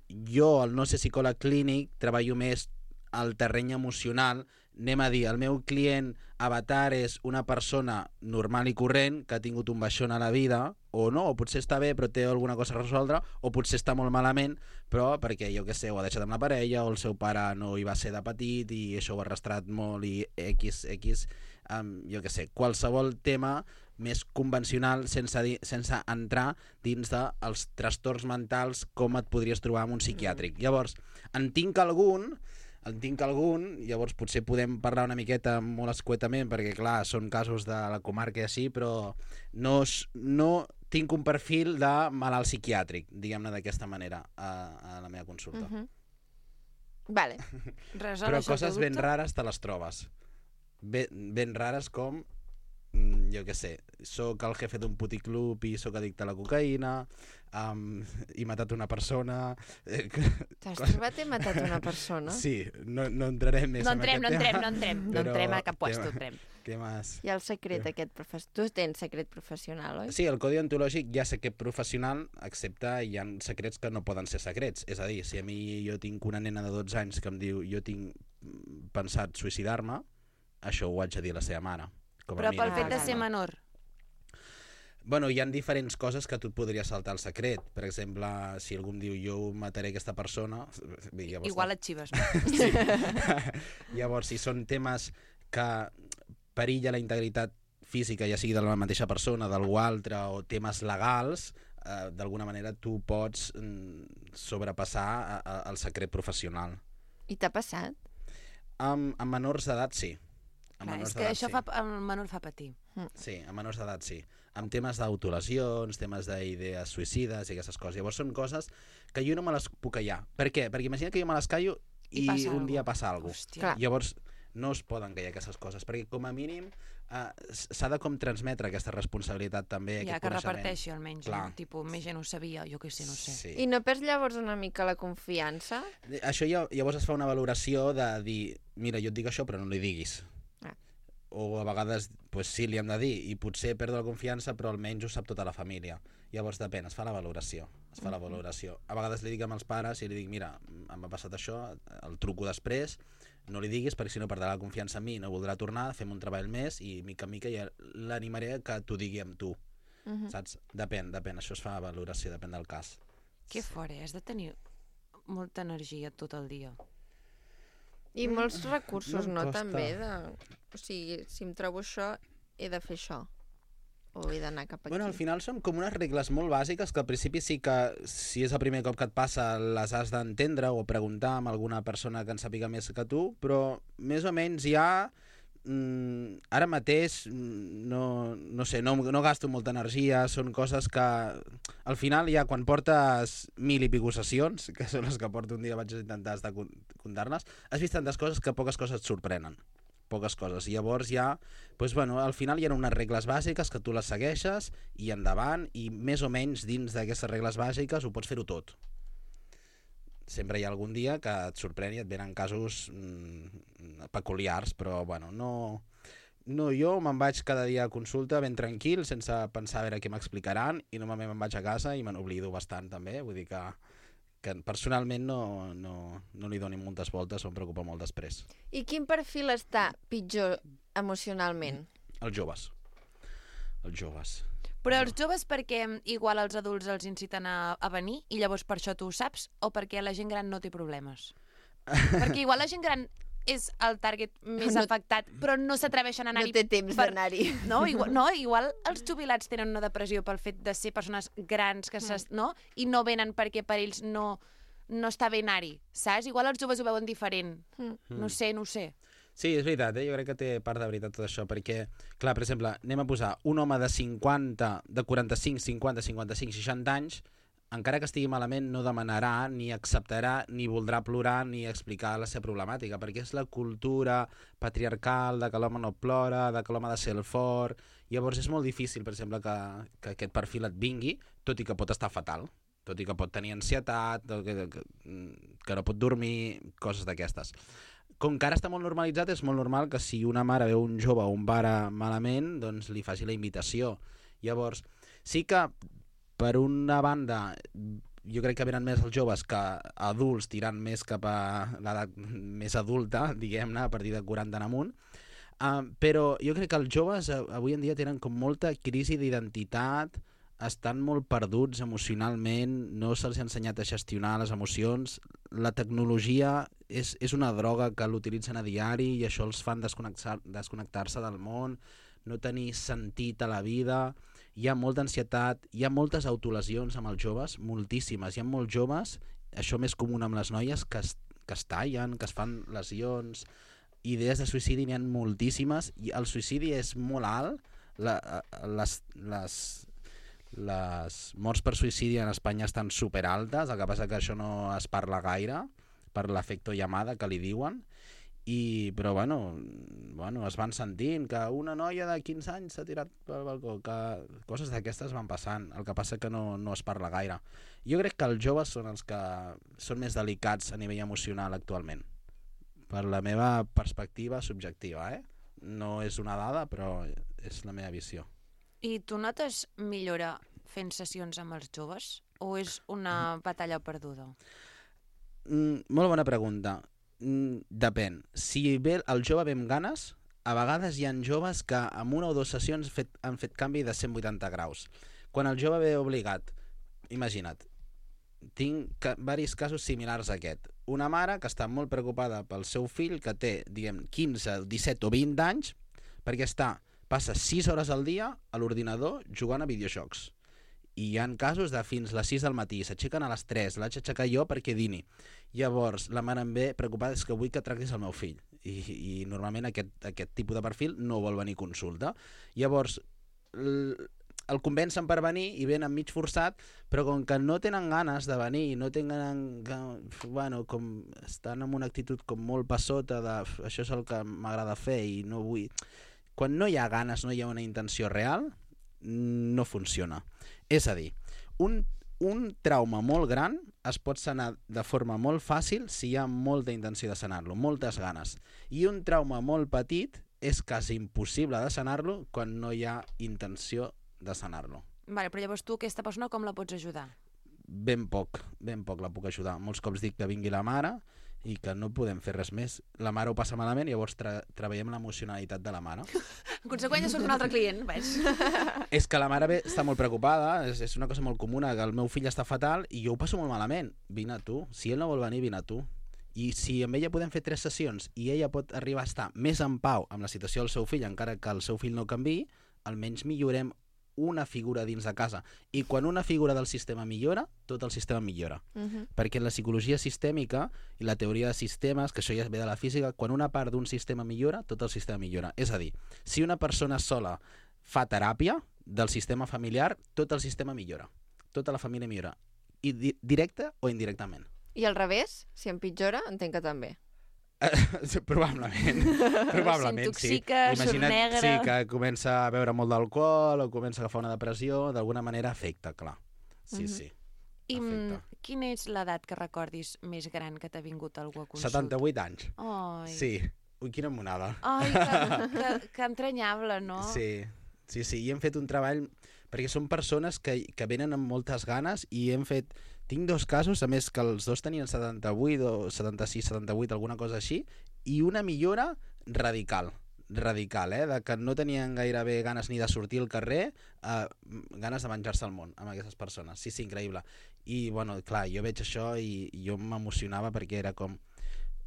Jo, al no ser psicòleg clínic, treballo més al terreny emocional. Anem a dir, el meu client avatar és una persona normal i corrent que ha tingut un baixón a la vida, o no, o potser està bé però té alguna cosa a resoldre, o potser està molt malament però perquè, jo què sé, ho ha deixat amb la parella o el seu pare no hi va ser de petit i això ho ha arrastrat molt i X, jo què sé, qualsevol tema més convencional sense entrar dins dels trastorns mentals com et podries trobar en un psiquiàtric. Llavors, en tinc algun, llavors potser podem parlar una miqueta molt escuetament perquè clar, són casos de la comarca i així, però no tinc un perfil de malalt psiquiàtric, diguem-ne d'aquesta manera a la meva consulta. Vale. Però coses ben rares te les trobes. Ben rares com, jo què sé, soc el jefe d'un puticlub i soc addicte a la cocaïna, he matat una persona... T'has trobat i matat una persona? Sí, no entrarem més en aquest tema. No entrem a cap puesto, entrem. Què més? I el secret aquest professional. Tu tens secret professional, oi? Sí, el codi ontològic hi ha secret professional, excepte hi ha secrets que no poden ser secrets. És a dir, si a mi jo tinc una nena de 12 anys que em diu jo tinc pensat suïcidar-me, això ho haig de dir a la seva mare. Però pel fet de ser menor? Bueno, hi ha diferents coses que tu et podries saltar el secret. Per exemple, si algú em diu jo mataré aquesta persona... Igual et xives. Sí. Llavors, si són temes que perilla la integritat física, ja sigui de la mateixa persona, d'algú altre, o temes legals, d'alguna manera tu pots sobrepassar el secret professional. I t'ha passat? Amb menors d'edat, sí. Clar, és que això el menor fa patir. Sí, a menors d'edat sí. Amb temes d'autolesions, temes d'idees suïcides i aquestes coses. Llavors són coses que jo no me les puc callar. Per què? Perquè imagina que jo me les callo i un dia passa alguna cosa. Llavors no es poden callar aquestes coses, perquè com a mínim s'ha de com transmetre aquesta responsabilitat també, ja, aquest que coneixement. Reparteixi almenys, no? Tipus, més gent ho sabia, jo què sé, no sé. Sí. I no perds llavors una mica la confiança? Això llavors es fa una valoració de dir, mira, jo et dic això però no li diguis. O a vegades pues, sí, li hem de dir i potser perdo la confiança però almenys ho sap tota la família. Llavors depèn, es fa la valoració. A vegades li dic amb els pares i li dic, mira, em ha passat això, el truco després, no li diguis perquè si no perdrà la confiança en mi, no voldrà tornar, fem un treball més i mica en mica ja l'animaré que t'ho digui amb tu. Saps? Depèn, això es fa valoració, depèn del cas. Que fort, has de tenir molta energia tot el dia. I molts recursos, no? També o sigui, si em trobo això, he de fer això. O he d'anar cap aquí. Bueno, al final són com unes regles molt bàsiques que al principi sí que, si és el primer cop que et passa, les has d'entendre o preguntar amb alguna persona que en sàpiga més que tu, però més o menys ja ara mateix no sé, no gasto molta energia, són coses que al final ja quan portes 1000 i pico sessions, que són les que porto un dia, vaig intentar comptar-les, has vist tantes coses que poques coses et sorprenen. Poques coses. I llavors ja, doncs, bueno, al final hi ha unes regles bàsiques que tu les segueixes i endavant, i més o menys dins d'aquestes regles bàsiques ho pots fer-ho tot. Sempre hi ha algun dia que et sorprèn i et venen casos peculiars, però bueno, no, jo me'n vaig cada dia a consulta ben tranquil, sense pensar a veure què m'explicaran, i normalment me'n vaig a casa i me n'oblido bastant també, vull dir que personalment no li doni moltes voltes o em preocupa molt després. I quin perfil està pitjor emocionalment? Els joves. Però els joves perquè igual els adults els inciten a venir i llavors per això tu ho saps, o perquè la gent gran no té problemes? Perquè igual la gent gran és el target més afectat, però no s'atreveixen a anar-hi. No té temps d'anar-hi. No, igual els jubilats tenen una depressió pel fet de ser persones grans que i no venen perquè per ells no està bé anar-hi, saps? Igual els joves ho veuen diferent. No sé. Sí, és veritat, jo crec que té part de veritat tot això, perquè, clar, per exemple, anem a posar un home de 45, 50, 55, 60 anys, encara que estigui malament, no demanarà, ni acceptarà, ni voldrà plorar, ni explicar la seva problemàtica, perquè és la cultura patriarcal de que l'home no plora, de que l'home ha de ser el fort. Llavors és molt difícil, per exemple, que aquest perfil et vingui, tot i que pot estar fatal, tot i que pot tenir ansietat, que no pot dormir, coses d'aquestes. Com que ara està molt normalitzat, és molt normal que si una mare veu un jove o un pare malament, doncs li faci la invitació. Llavors, sí que per una banda, jo crec que venen més els joves que adults tirant més cap a l'edat més adulta, diguem-ne, a partir de 40 en amunt. Però jo crec que els joves avui en dia tenen com molta crisi d'identitat, estan molt perduts emocionalment, no se'ls ha ensenyat a gestionar les emocions. La tecnologia és una droga que l'utilitzen a diari i això els fan desconnectar-se del món, no tenir sentit a la vida. Hi ha molta ansietat, hi ha moltes autolesions amb els joves, moltíssimes. Hi ha molts joves, això més comú amb les noies, que es tallen, que es fan lesions. Idees de suïcidi n'hi ha moltíssimes i el suïcidi és molt alt. Les morts per suïcidi en Espanya estan superaltes, el que passa que això no es parla gaire per l'efecte llamada que li diuen. Però bueno, es van sentint que una noia de 15 anys s'ha tirat pel balcó, que coses d'aquestes van passant, el que passa que no es parla gaire. Jo crec que els joves són els que són més delicats a nivell emocional actualment, per la meva perspectiva subjectiva, No és una dada, però és la meva visió. I tu notes millora fent sessions amb els joves o és una batalla perduda? Molt bona pregunta. Depèn. Si ve el jove ve amb ganes, a vegades hi ha joves que en una o dues sessions han fet canvi de 180 graus. Quan el jove ve obligat, imagina't, tinc diversos casos similars a aquest. Una mare que està molt preocupada pel seu fill que té, diguem, 15, 17 o 20 anys perquè passa 6 hores al dia a l'ordinador jugant a videojocs. I hi ha casos de fins les 6 del matí, s'aixequen a les 3, l'haig d'aixecar jo perquè dini. Llavors, la mare em ve preocupada, és que vull que tractis el meu fill. I normalment aquest tipus de perfil no vol venir a consulta. Llavors, el convencen per venir i venen mig forçat, però com que no tenen ganes de venir, no tenen, com estan en una actitud com molt passota de això és el que m'agrada fer i no vull... Quan no hi ha ganes, no hi ha una intenció real, no funciona. És a dir, un trauma molt gran es pot sanar de forma molt fàcil si hi ha molta intenció de sanar-lo, moltes ganes. I un trauma molt petit és quasi impossible de sanar-lo quan no hi ha intenció de sanar-lo. Vale, però llavors tu, aquesta persona, com la pots ajudar? Ben poc la puc ajudar. Molts cops dic que vingui la mare i que no podem fer res més. La mare ho passa malament i llavors treballem l'emocionalitat de la mare. En conseqüència surt un altre client, veus? És que la mare està molt preocupada, és una cosa molt comuna, que el meu fill està fatal i jo ho passo molt malament. Vine a tu. Si ell no vol venir, vine a tu. I si amb ella podem fer 3 sessions i ella pot arribar a estar més en pau amb la situació del seu fill, encara que el seu fill no canviï, almenys millorem una figura dins de casa. I quan una figura del sistema millora, tot el sistema millora. Perquè la psicologia sistèmica i la teoria de sistemes, que això ja ve de la física, quan una part d'un sistema millora, tot el sistema millora. És a dir, si una persona sola fa teràpia del sistema familiar, tot el sistema millora. Tota la família millora. I directe o indirectament. I al revés, si empitjora, entenc que també. Probablement s'intoxica, sí. Imagina't, s'ornegra. sí, que comença a beure molt d'alcohol o comença a agafar una depressió, d'alguna manera afecta, clar. Sí, sí. I afecta. quina és l'edat que recordis més gran que t'ha vingut algú a consulta? 78 anys. Ai. Sí. Ui, quina monada. Ai, que entranyable, no? Sí. I hem fet un treball perquè són persones que venen amb moltes ganes i hem fet... Tinc 2 casos, a més que els 2 tenien 78 o 76, 78, alguna cosa així, i una millora radical, de que no tenien gairebé ganes ni de sortir al carrer, ganes de menjar-se el món amb aquestes persones. Sí, increïble. I, bueno, clar, jo veig això i jo m'emocionava perquè era com...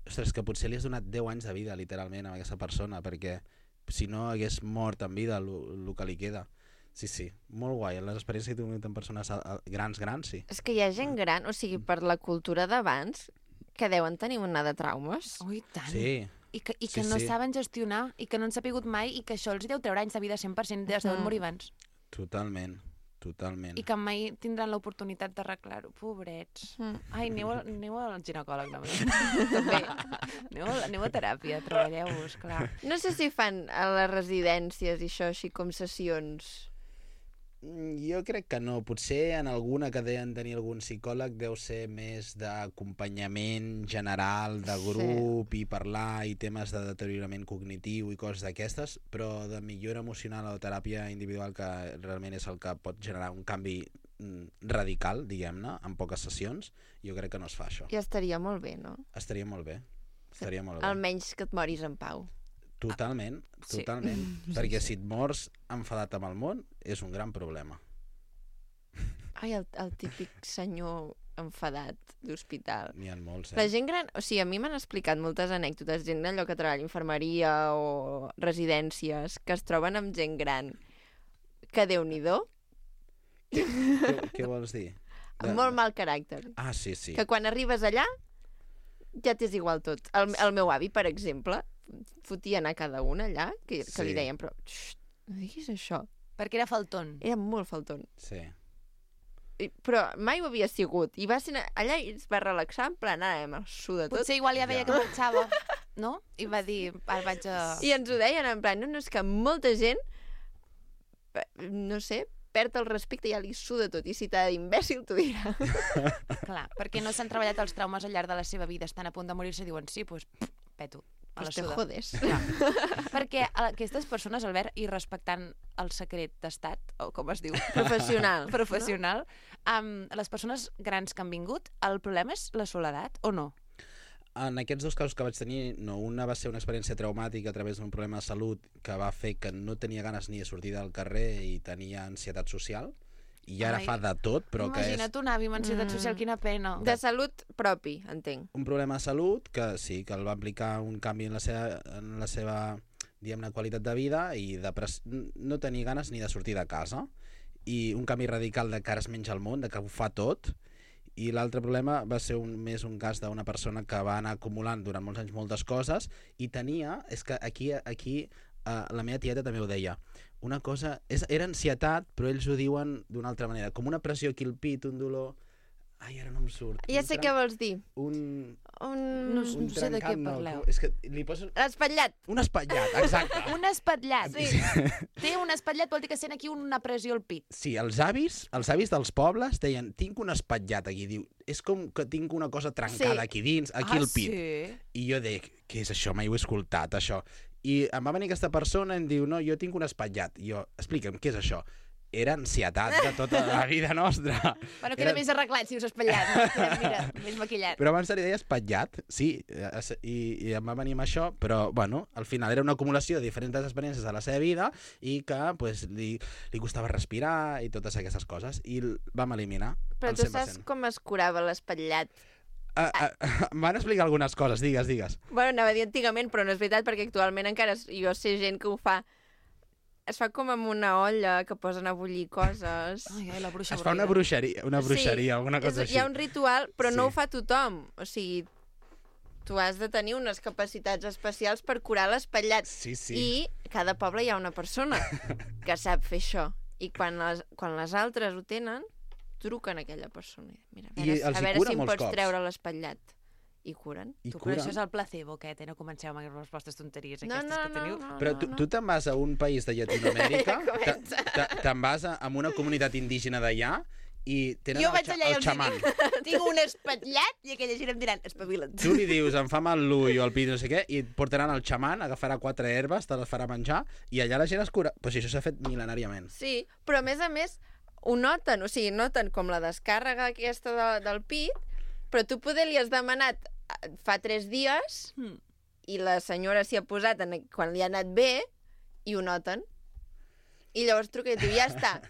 Ostres, que potser li has donat 10 anys de vida, literalment, a aquesta persona, perquè si no hagués mort en vida el que li queda. Sí, molt guai. Les experiències que he tingut amb persones grans, sí. És que hi ha gent gran, o sigui, per la cultura d'abans, que deuen tenir una de traumes. Oh, i tant. Sí. I que no saben gestionar, i que no han sapigut mai, i que això els deu treure anys de vida 100%, es deuen morir abans. Totalment. I que mai tindran l'oportunitat d'arreglar-ho. Pobrets. Ai, aneu al ginecòleg, no? També. Aneu a teràpia, treballeu-vos, clar. No sé si fan a les residències i això així com sessions. Jo crec que no. Potser en alguna que deien tenir algun psicòleg deu ser més d'acompanyament general, de grup, i parlar, i temes de deteriorament cognitiu i coses d'aquestes, però de millora emocional o teràpia individual, que realment és el que pot generar un canvi radical, diguem-ne, en poques sessions, jo crec que no es fa això. I estaria molt bé, no? Estaria molt bé. Almenys que et moris en pau. Totalment. Perquè si et mors enfadat amb el món, és un gran problema. Ai, el típic senyor enfadat d'hospital. N'hi ha molts, La gent gran... O sigui, a mi m'han explicat moltes anècdotes, gent allò que treballa a infermeria o residències, que es troben amb gent gran que Déu-n'hi-do, Què vols dir? amb molt mal caràcter. Ah, sí, sí. Que quan arribes allà ja t'és igual tot. El meu avi, per exemple, fotia anar cada una allà, que Sí. li deien, però xxt, no diguis això. Perquè era faltón. Era molt faltón. Sí. Però mai ho havia sigut. I va ser allà i es va relaxar, en plan, ara em suda tot. Potser igual ja veia Ja. que marxava, no? I va dir, ara vaig a... I ens ho deien, en plan, no, és que molta gent, no sé, perd el respecte i ja li suda tot. I si t'ha d'imbècil, t'ho dirà. Clar, perquè no s'han treballat els traumes al llarg de la seva vida, estan a punt de morir-se i diuen, sí, doncs, peto. A la Pues te suda. jodes. Perquè aquestes persones, Albert, i respectant el secret d'estat, o com es diu? Professional. Professional. Les persones grans que han vingut, el problema és la soledat, o no? En aquests dos casos que vaig tenir, no, una va ser una experiència traumàtica a través d'un problema de salut que va fer que no tenia ganes ni de sortir del carrer i tenia ansietat social, i ara Ai. fa de tot, però que és Imagina't un avi amb ansietat social, quina pena. De salut propi, entenc. un problema de salut que sí, que el va implicar un canvi en la seva diguem-ne, qualitat de vida i no tenir ganes ni de sortir de casa, i un canvi radical de que ara es menja el món, de que ho fa tot. I l'altre problema va ser més un cas d'una persona que va anar acumulant durant molts anys moltes coses i tenia, és que aquí la meva tieta també ho deia, una cosa, era ansietat, però ells ho diuen d'una altra manera, com una pressió aquí al pit, un dolor... Ai, ara no em surt. Ja sé què vols dir. Un No sé de què trencat, no, parleu. és que li poso... L'espatllat. Un espatllat, exacte. Un espatllat. Sí. Té un espatllat, vol dir que sent aquí una pressió al pit. Sí, els avis dels pobles deien, tinc un espatllat aquí, diu, és com que tinc una cosa trencada Sí. aquí dins, aquí al pit. Sí? I jo dic, què és això? Mai ho he escoltat, això. I em va venir aquesta persona i em diu, no, jo tinc un espatllat. I jo, explica'm, què és això? Era ansietat de tota la vida nostra. Bueno, queda més arreglat si us espatllat. No? Queda, mira, més maquillat. Però abans se li deia espatllat, sí, i em va venir amb això, però, bueno, al final era una acumulació de diferents experiències de la seva vida i que, pues, li costava respirar i totes aquestes coses, i el vam eliminar. Però al tu 100%. saps com es curava l'espatllat? Em van explicar algunes coses, digues. Bueno, anava a dir antigament, però no és veritat, perquè actualment encara jo sé gent que ho fa. Es fa com amb una olla que posen a bullir coses. Ai, la bruixa Es fa una avorrida. bruixeria, alguna cosa així. Hi ha un ritual, però no Sí. ho fa tothom. O sigui, tu has de tenir unes capacitats especials per curar l'espatllat. Sí, sí. I cada poble hi ha una persona que sap fer això. I quan les altres ho tenen, truquen a aquella persona. Mira, a I veure, els a hi veure cura si em molts pots cops. treure l'espatllat. I curen. I Tu, però cura. això és el placebo, aquest, no comenceu amb les vostres tonteries No, aquestes no, que teniu. no. Però tu te'n vas a un país de Llatinoamèrica, Ja te'n vas a una comunitat indígena d'allà i tenen Jo vaig allà i el els xaman. dic, tinc un espatllat, i aquella gent em diran, espavila't. Tu li dius, em fa mal l'ull o el pit, no sé què, i et portaran el xaman, agafarà 4 herbes, te les farà menjar, i allà la gent es cura. Però si això s'ha fet mil·lenàriament. Sí, però a més, ho noten, o sigui, noten com la descàrrega aquesta del pit, però tu poder li has demanat fa 3 dies i la senyora s'hi ha posat quan li ha anat bé i ho noten. I llavors truca i diu, ja està.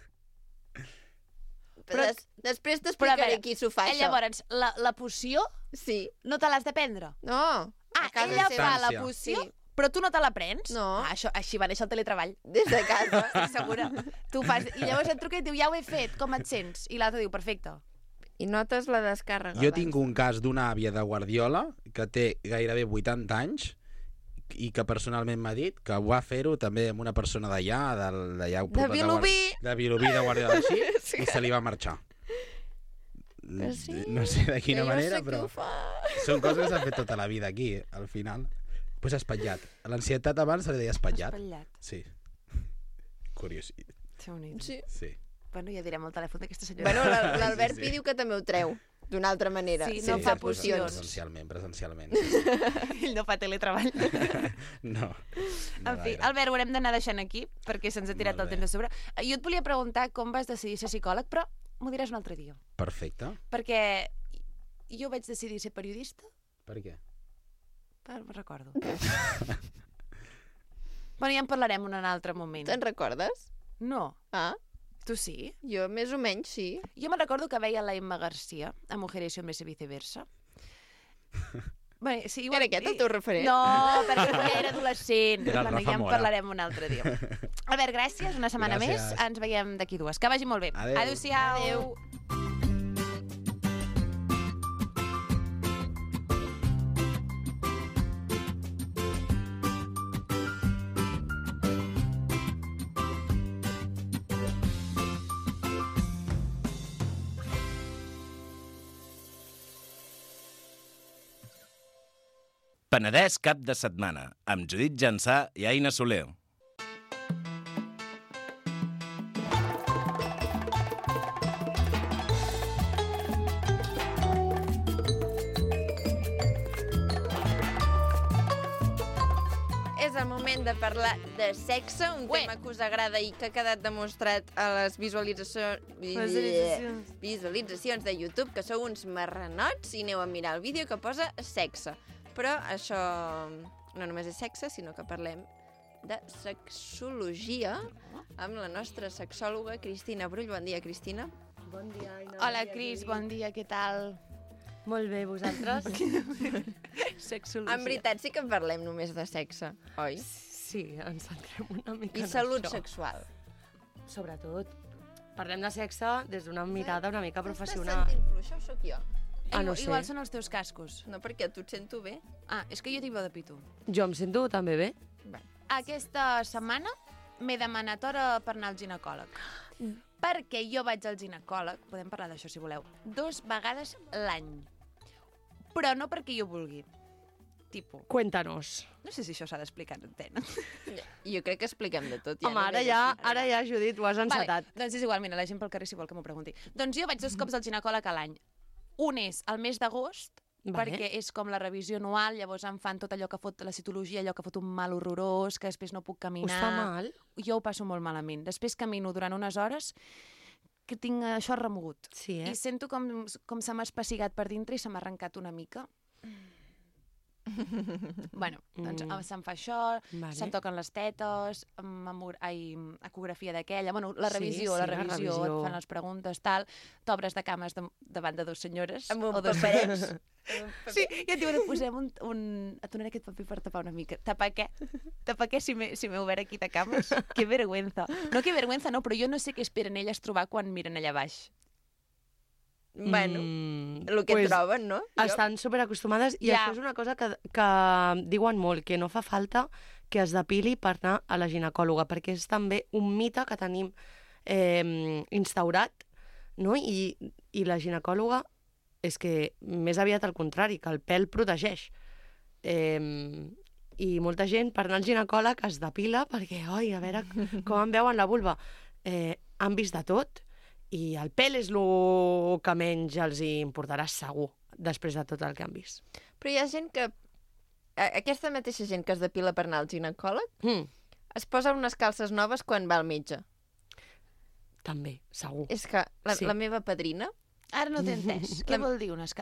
Però després Però a t'explicaré veure, qui s'ho fa, això. Llavors, la poció Sí. no te l'has de prendre? No. Ah, a casa ella seva. fa la Distància. poció, Sí. però tu no te la prens? No. Ah, així va néixer el teletreball. Des de casa. Estic segura. Tu fas... I llavors et truca i et diu, ja ho he fet, com et sents? I l'altre diu, perfecte. I notes la descàrrega. Jo abans. tinc un cas d'una àvia de Guardiola que té gairebé 80 anys i que personalment m'ha dit que va fer-ho també amb una persona d'allà, De Vilobí. de Vilobí, de Guardiola, així, Sí. i se li va marxar. Que sí, No sé de quina que jo manera, sé qui però ho fa. són coses que s'han fet tota la vida aquí, al final. Pues espatllat. A l'ansietat abans se li deia espatllat. Espatllat. Sí. Curiós. Sí. Sí. Bueno, ja direm el telèfon d'aquesta senyora. Bueno, l'Albert Sí, Pi sí. diu que també ho treu, d'una altra manera. Sí, no fa pues, pocions. Presencialment. Ell no fa teletreball. No. En fi, Albert, ho haurem d'anar deixant aquí, perquè se'ns ha tirat Molt el bé. temps de sobre. Jo et volia preguntar com vas decidir ser psicòleg, però m'ho diràs un altre dia. Perfecte. Perquè jo vaig decidir ser periodista, Per què? però me'n recordo. Bueno, ja en parlarem en un altre moment. Te'n recordes? No. Ah, Tu sí? Jo més o menys sí. Jo me recordo que veia la Emma Garcia a Mujeres y Hombres y Viceversa. Bé, sí, Era aquest el teu referent? No, perquè quan era adolescent. Era el Bueno, Rafa ja en Mora. parlarem un altre dia. Albert, gràcies, una setmana Gràcies. més. Ens veiem d'aquí 2. Que vagi molt bé. Adéu. Adéu-siau. Adéu. Penedès cap de setmana, amb Judit Jansà i Aina Soler. És el moment de parlar de sexe, un tema que us agrada i que ha quedat demostrat a les visualitzacions de YouTube, que sou uns marranots i aneu a mirar el vídeo que posa sexe. Però això no només és sexe, sinó que parlem de sexologia amb la nostra sexòloga Cristina Brull. Bon dia, Cristina. Bon dia, Aina. Hola, Cris, bon dia, què tal? Molt bé, vosaltres? Sexologia. En veritat sí que parlem només de sexe, oi? Sí, ens centrem una mica I en salut això. sexual. Sobretot. Parlem de sexe des d'una mirada una mica professional. Estàs sentint fluix, o sóc jo? No sé. Igual són els teus cascos. No, perquè tu et sento bé. Ah, és que jo tinc veu de pito. Jo em sento també bé. Aquesta setmana m'he demanat hora per anar al ginecòleg. Perquè jo vaig al ginecòleg, podem parlar d'això si voleu, 2 vegades l'any. Però no perquè jo vulgui. Tipo. Cuéntanos. No sé si això s'ha d'explicar en antena. Jo crec que expliquem de tot. Home, ara ja, Judit, ho has encetat. Vale, doncs és igual, mira, la gent pel carrer si vol que m'ho pregunti. Doncs jo vaig 2 cops al ginecòleg a l'any. Un és al mes d'agost, perquè és com la revisió anual, llavors em fan tot allò que fot la citologia, allò que fot un mal horrorós, que després no puc caminar. Us fa mal? Jo ho passo molt malament. Després camino durant unes hores que tinc això remogut. Sí, I sento com se m'ha espassigat per dintre i se m'ha arrencat una mica. Bueno, doncs se'm fa això, Vale. se'm toquen les tetes, ecografia d'aquella, bueno, la Sí, revisió, sí, la la revisió, revisió. et fan les preguntes, tal, t'obres de cames davant de 2 senyores. Amb un o 2 paperet. Sí, i et diuen, et posem et donaré aquest paper per tapar una mica. Tapar què? Tapar què si m'he obert aquí de cames? Que vergüenza. No, que vergüenza, no, però jo no sé què esperen elles trobar quan miren allà baix. Bueno, el que troben, no? Estan superacostumades i Ja. això és una cosa que diuen molt, que no fa falta que es depili per anar a la ginecòloga, perquè és també un mite que tenim instaurat, no? I la ginecòloga és que més aviat al contrari, que el pèl protegeix. I molta gent per anar al ginecòleg es depila perquè, oi, a veure com em veuen la vulva. Han vist de tot i el pèl és el que menys els hi importarà segur després de tot el que han vist. Però hi ha gent que... Aquesta mateixa gent que es depila per anar al ginecòleg es posa unes calces noves quan va al metge. També, segur. És que la meva padrina... Ara no t'he entès. Què vol dir? Es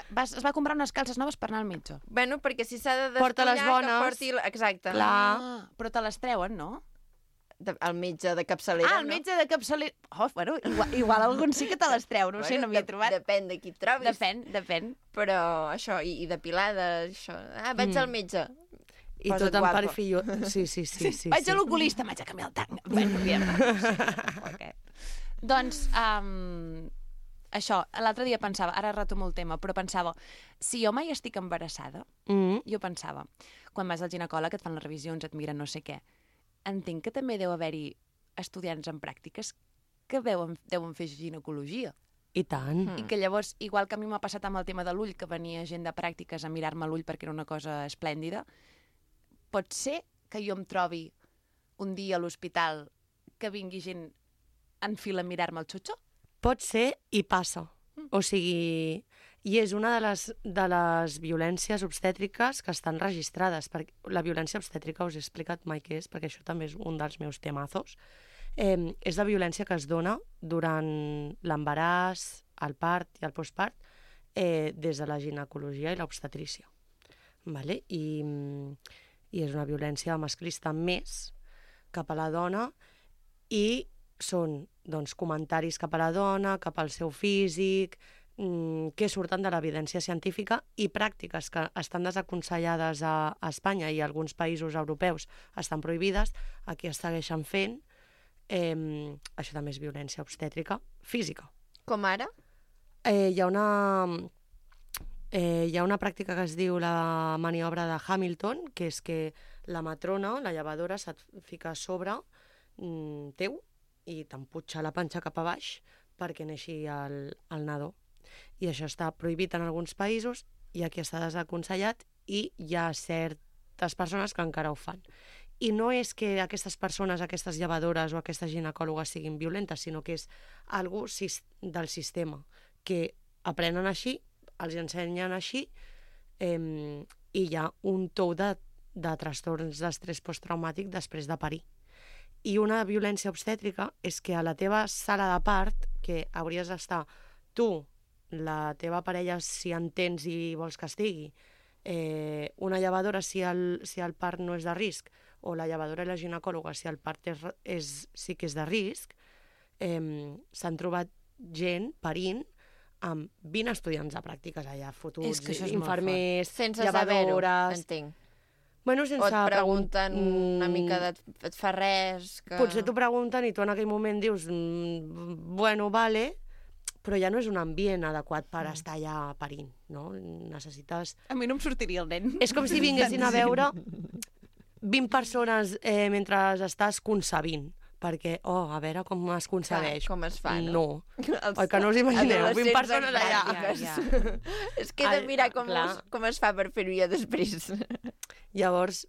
va comprar unes calces noves per anar al metge. Bueno, perquè si s'ha de Porta les despullar, bones. que porti... Exacte. Clar. Però te les treuen, no? El metge de capçalera, el metge de capçalera... Oh, bueno, igual algun sí que te les treu, no sé, no m'hi he trobat. Depèn de qui et trobis. Depèn. Però això, i depilada, això... Vaig al metge. I tot en perfillo. Sí. Vaig a l'oculista, vaig a canviar el tanc. Bueno, aviam. Okay. Doncs, això, l'altre dia pensava, ara retomo el tema, però pensava, si jo mai estic embarassada, jo pensava, quan vas al ginecòleg et fan les revisions, et miren no sé què, entenc que també deu haver-hi estudiants en pràctiques que deuen fer ginecologia. I tant. I que llavors, igual que a mi m'ha passat amb el tema de l'ull, que venia gent de pràctiques a mirar-me l'ull perquè era una cosa esplèndida, pot ser que jo em trobi un dia a l'hospital que vingui gent en fila a mirar-me el xutxo? Pot ser i passa. O sigui, i és una de les violències obstètriques que estan registrades. Perquè la violència obstètrica, us he explicat mai què és, perquè això també és un dels meus temazos. És la violència que es dona durant l'embaràs, el part i el postpart des de la ginecologia i l'obstetrícia. Vale? I és una violència masclista més cap a la dona i són doncs, comentaris cap a la dona, cap al seu físic, que surten de l'evidència científica i pràctiques que estan desaconsellades a Espanya i a alguns països europeus estan prohibides, aquí es segueixen fent. Això també és violència obstètrica física. Com ara? Hi ha una pràctica que es diu la maniobra de Hamilton, que és que la matrona, la llevadora, se't fica a sobre teu i t'emputxa la panxa cap a baix perquè neixi el nadó. I això està prohibit en alguns països i aquí està desaconsellat i hi ha certes persones que encara ho fan. I no és que aquestes persones, aquestes llevadores o aquestes ginecòlogues siguin violentes, sinó que és algo del sistema, que aprenen així, els ensenyen així, i hi ha un tou de trastorns d'estrès posttraumàtic després de parir. I una violència obstètrica és que a la teva sala de part, que hauries d'estar tu, la teva parella, si entens i vols que estigui, una llevadora si el part no és de risc, o la llevadora i la ginecòloga si el part sí que és de risc, s'han trobat gent parint amb 20 estudiants de pràctiques allà, fotuts, infermers, sense llevadores... saber-ho, entenc. Bueno, sense o et pregunten una mica et fa res... Que... Potser t'ho pregunten i tu en aquell moment dius bueno, vale, però ja no és un ambient adequat per estar allà parint, no? Necessites... A mi no em sortiria el nen. És com si vinguessin a veure 20 persones mentre estàs concebint, perquè, a veure com es concebeix. Com es fa, no? Oi, que no us imagineu, 20 personnes allà. És que he de mirar com es fa per fer-ho jo després. Llavors,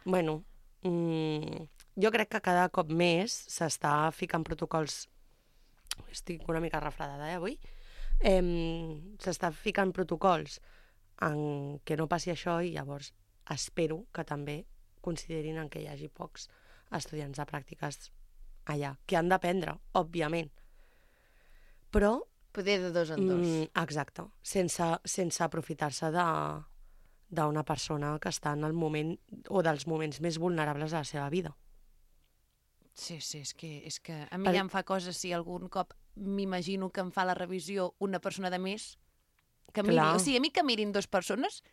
bueno, jo crec que cada cop més s'està ficant protocols. Estic una mica refredada, avui. S'està ficant protocols en què no passi això i llavors espero que també considerin en què hi hagi pocs estudiants de pràctiques allà, que han d'aprendre, òbviament. Però... Poder de dos en dos. Exacte, sense aprofitar-se d'una persona que està en el moment o dels moments més vulnerables de la seva vida. Sí, és que a mi ja em fa coses si algun cop m'imagino que em fa la revisió una persona de més que miri. O sigui, a mi que mirin dues persones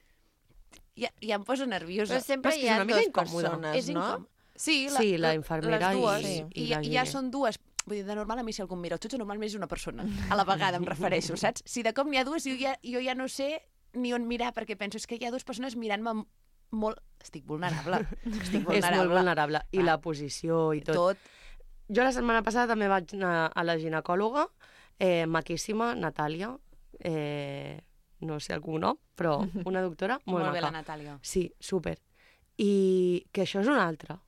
ja em posa nerviosa. Però sempre hi ha dues persones, no? Sí, la infermera les dues, i la ja són dues. Vull dir, de normal a mi si algú em mira els jutges normalment és una persona. A la vegada em refereixo, saps? Si de cop n'hi ha dues, jo ja no sé ni on mirar, perquè penso, és que hi ha dues persones mirant-me molt... Estic vulnerable. És molt vulnerable. I la posició i tot. Jo la setmana passada també vaig anar a la ginecòloga, maquíssima, Natàlia, no sé el cognom, però una doctora molt maca. Molt bé la Natàlia. Sí, súper. I que això és un altre.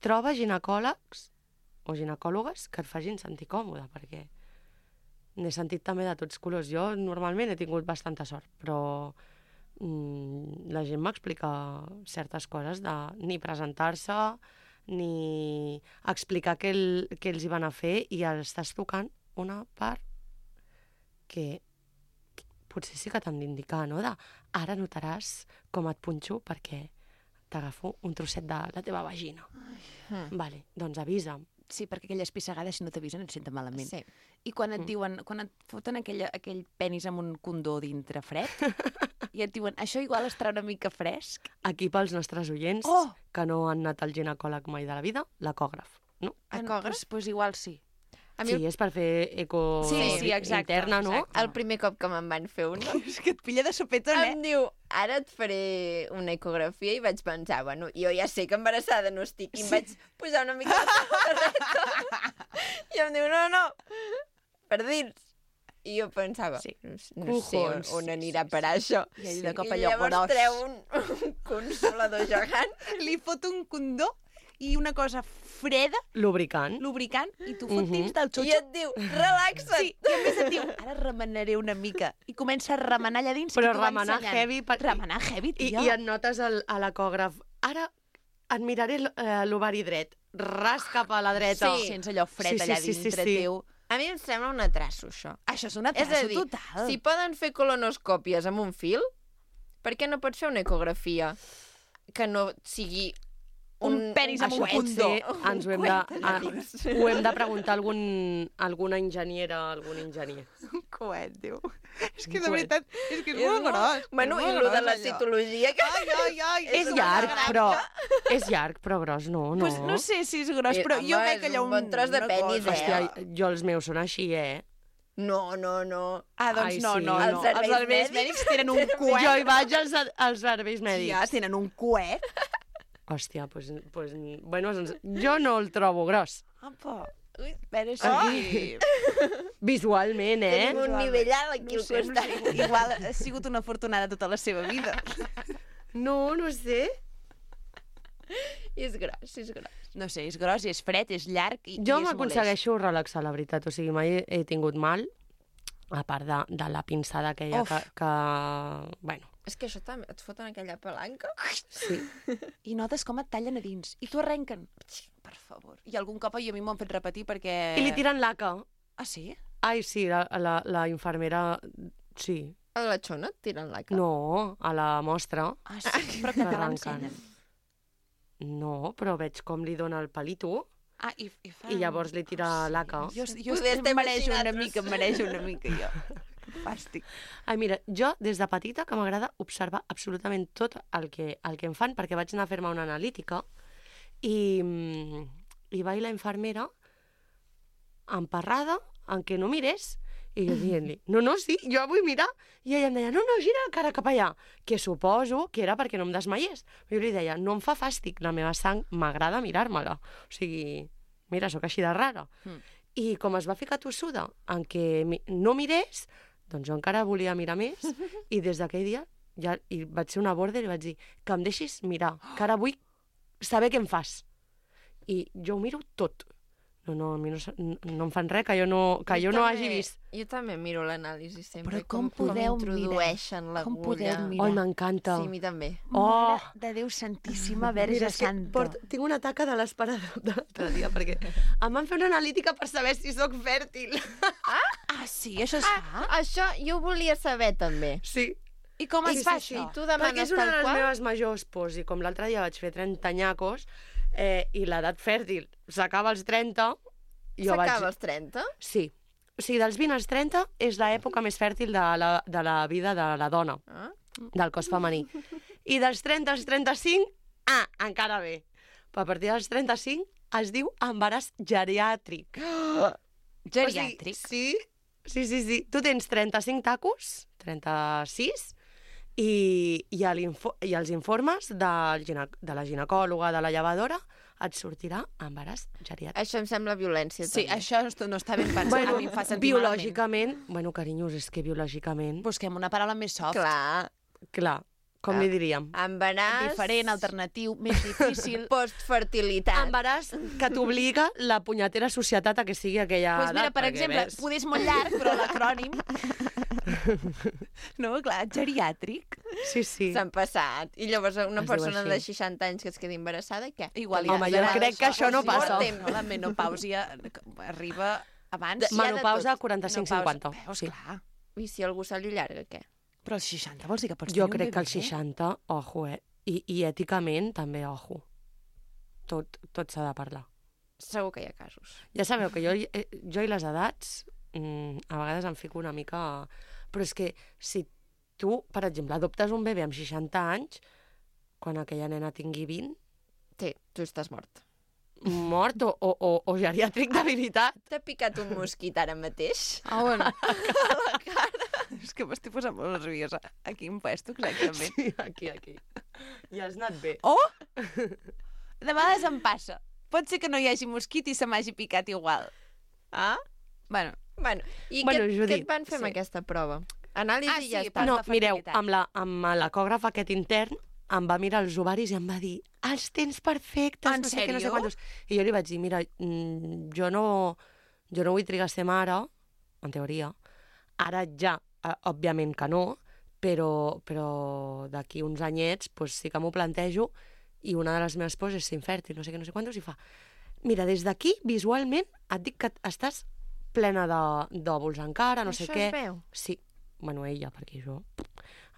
Troba ginecòlegs o ginecòlogues que et facin sentir còmode, perquè n'he sentit també de tots colors. Jo normalment he tingut bastanta sort, però la gent m'explica certes coses de ni presentar-se, ni explicar què els hi van a fer, i estàs tocant una part que potser sí que t'han d'indicar, no? Ara notaràs com et punxo perquè t'agafo un trosset de la teva vagina. Vale, doncs avisa'm. Sí, perquè aquelles pissegades, si no t'avisen, et senten malament. Sí. I quan et diuen, quan et foten aquell penis amb un condó dintre fred, i et diuen, això igual estarà una mica fresc. Aquí pels nostres oients, que no han anat al ginecòleg mai de la vida, l'ecògraf, no? Ecògraf? Doncs igual sí. Sí, és per fer eco interna, no? El primer cop que me'n van fer una... És que et pilla de sopetón, Em diu, ara et faré una ecografia, i vaig pensar, bueno, jo ja sé que embarassada no estic, i em vaig posar una mica de samarreta. I em diu, no, per dins. I jo pensava, no sé on anirà a parar això. I de cop I allò llavors treu un consolador gegant. Li fot un condó i una cosa freda, lubricant, i tu fot dins del xotxo. I et diu, relaxa't. Sí, i a més et diu, ara remenaré una mica. I comença a remenar allà dins. Però remenar heavy. Remenar heavy, tio. I et notes a l'ecògraf, ara et miraré l'ovari dret, ras cap a la dreta. Sí, sense allò fred allà dintre teu. A mi em sembla un atrasso, això. Això és un atrasso total. Si poden fer colonoscòpies amb un fil, per què no pots fer una ecografia que no sigui Un penis amb un Això condó. potser ens ho hem de preguntar a alguna enginyera, algun enginyer. Un coet, diu. És que de Coet. veritat, és que és molt gros. Bueno, i lo de la citologia... Que... Ai, És llarg, però gros no. Pues no sé si és gros, però jo veig allà un bon tros de penis, Hòstia, jo els meus són així, No. Ah, doncs Ai, no. sí. Els serveis mèdics tenen un coet. Jo hi vaig als serveis mèdics. Ja, tenen un coet. Hòstia, bueno, jo no el trobo gros. Apa. Ui, però Aquí. Visualment, Tenim un nivell alt aquí al costat. Igual ha sigut una afortunada tota la seva vida. No sé. És gros. No sé, és gros, és fred, és llarg i Jo és m'aconsegueixo relaxar, la veritat. O sigui, mai he tingut mal, a part de la pinçada aquella que... Bueno. És que això també, et foten aquella palanca. Sí. I notes com et tallen a dins. I t'ho arrenquen. Per favor. I algun cop a mi m'ho han fet repetir perquè... I li tiren laca. Ah, sí? Ai, sí, la infermera... Sí. A la xona et tiren laca? No, a la mostra. Ah, sí? Però que te l'ensenyen. No, però veig com li dona el palito. Ah, i I llavors li tira laca. Jo em mereixo una mica, jo. Fàstic. Ai, mira, jo des de petita que m'agrada observar absolutament tot el que em fan, perquè vaig anar a fer-me una analítica i va la infermera emparrada en què no mirés i jo dient-li, no, sí, jo vull mirar. I ella em deia, no, gira la cara cap allà, que suposo que era perquè no em desmaiés. Jo li deia, no em fa fàstic, la meva sang m'agrada mirar-me-la. O sigui, mira, sóc així de rara. I com es va ficar tossuda en què no mirés, doncs jo encara volia mirar més i des d'aquell dia ja vaig ser una border i vaig dir que em deixis mirar, que ara vull saber què em fas. I jo ho miro tot. No, a mi no em fan res que jo no hagi vist. Jo també miro l'anàlisi sempre. Però com podeu introdueixen l'agulla. Com podeu mirar? Ai, m'encanta. Sí, a mi també. Mare de Déu Santíssima, Verge Santa. Tinc una taca de l'esperador de l'altre dia, perquè em van fer una analítica per saber si sóc fèrtil. Ah, sí? Això es fa? Això jo ho volia saber, també. Sí. I com es fa això? Tu Perquè demanes és una tal de les qual? meves majors pors, i com l'altre dia vaig fer 30 anyacos, i l'edat fèrtil s'acaba als 30, S'acaba als 30? Sí. O sigui, dels 20 als 30 és l'època més fèrtil de la vida de la dona, del cos femení. I dels 30 als 35, encara bé. Però a partir dels 35 es diu embaràs geriàtric. Geriàtric? O sigui, sí. Tu tens 35 tacos, 36, i els informes de la ginecòloga, de la llevadora, et sortirà embaràs geriàtric. Això em sembla violència, Sí, també. això no està ben pensat. Bueno, A mi em fa sentir biològicament, bueno, carinyos, és que biològicament... Busquem una paraula més soft. Clar, com li diríem? Embaràs... Diferent, alternatiu, més difícil. Postfertilitat. Embaràs que t'obliga la punyetera societat a que sigui aquella Pues mira, edat. per exemple, poder és molt llarg, però l'acrònim... No, clar, geriàtric. Sí. S'han passat. I llavors una Es diu persona de així. 60 anys que es quedi embarassada, què? Igual Home, jo crec que això no passa. No, la menopàusia arriba abans. Menopausa 45-50. Veus, clar. I si algú se li llarga, què? Però als 60 vols dir que pots Jo tenir un crec que bebè? als 60, ojo, I èticament també, ojo. Tot s'ha de parlar. Segur que hi ha casos. Ja sabeu que jo i les edats a vegades em fico una mica... Però és que si tu, per exemple, adoptes un bebè amb 60 anys, quan aquella nena tingui 20... Sí, tu estàs mort. Mort o geriàtric de veritat. T'ha picat un mosquit ara mateix? Ah, bueno. És que m'estic posant molt nerviosa. A quin puesto, exactament? Sí, aquí. Ja has anat bé. Oh! De vegades em passa. Pot ser que no hi hagi mosquit i se m'hagi picat igual. Ah? Bueno, i Bueno, què Judit, et van fer amb aquesta prova? Anàlisi i ja està. No, de mireu, fertilitat. amb l'ecògraf aquest intern em va mirar els ovaris i em va dir els tens perfectes, En no sé què, no sé sèrio? quantos. I jo li vaig dir, mira, jo no vull trigar a ser mare, en teoria. Ara ja, òbviament que no, però d'aquí uns anyets pues, sí que m'ho plantejo i una de les meves pors és ser infèrtil, no sé què, no sé quantos, i fa, mira, des d'aquí, visualment, et dic que estàs plena d'òvuls encara, no sé què. Això es veu? Sí. Bueno, ella, perquè això...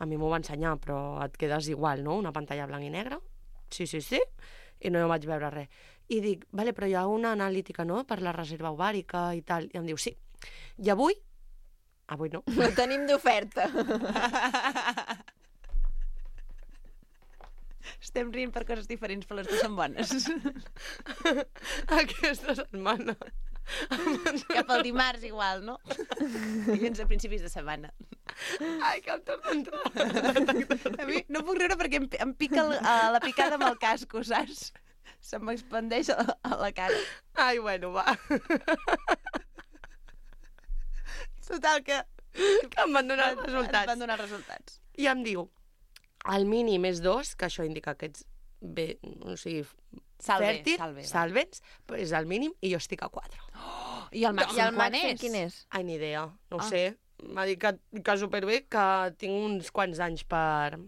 A mi m'ho va ensenyar, però et quedes igual, no? Una pantalla blanc i negre. Sí. I no vaig veure res. I dic, vale, però hi ha una analítica, no?, per la reserva ovàrica i tal. I em diu, sí. I avui no. Ho tenim d'oferta. Estem rient per coses diferents, però les dues són bones. Aquesta setmana. Cap al dimarts igual, no? Dilluns a principis de setmana. Ai, que em torna a entrar. A mi no puc riure perquè em pica la picada amb el casco, saps? Se m'expandeix a la cara. Ai, bueno, va. Total, que em van donar els resultats. Em van donar els resultats. I em diu, el mínim és 2, que això indica que ets bé, o sigui, fèrtil, salvens, però és el mínim, i jo estic a 4. I el màxim quin és? Ai, ni idea, no ho sé. M'ha dit que superbé, que tinc uns quants anys per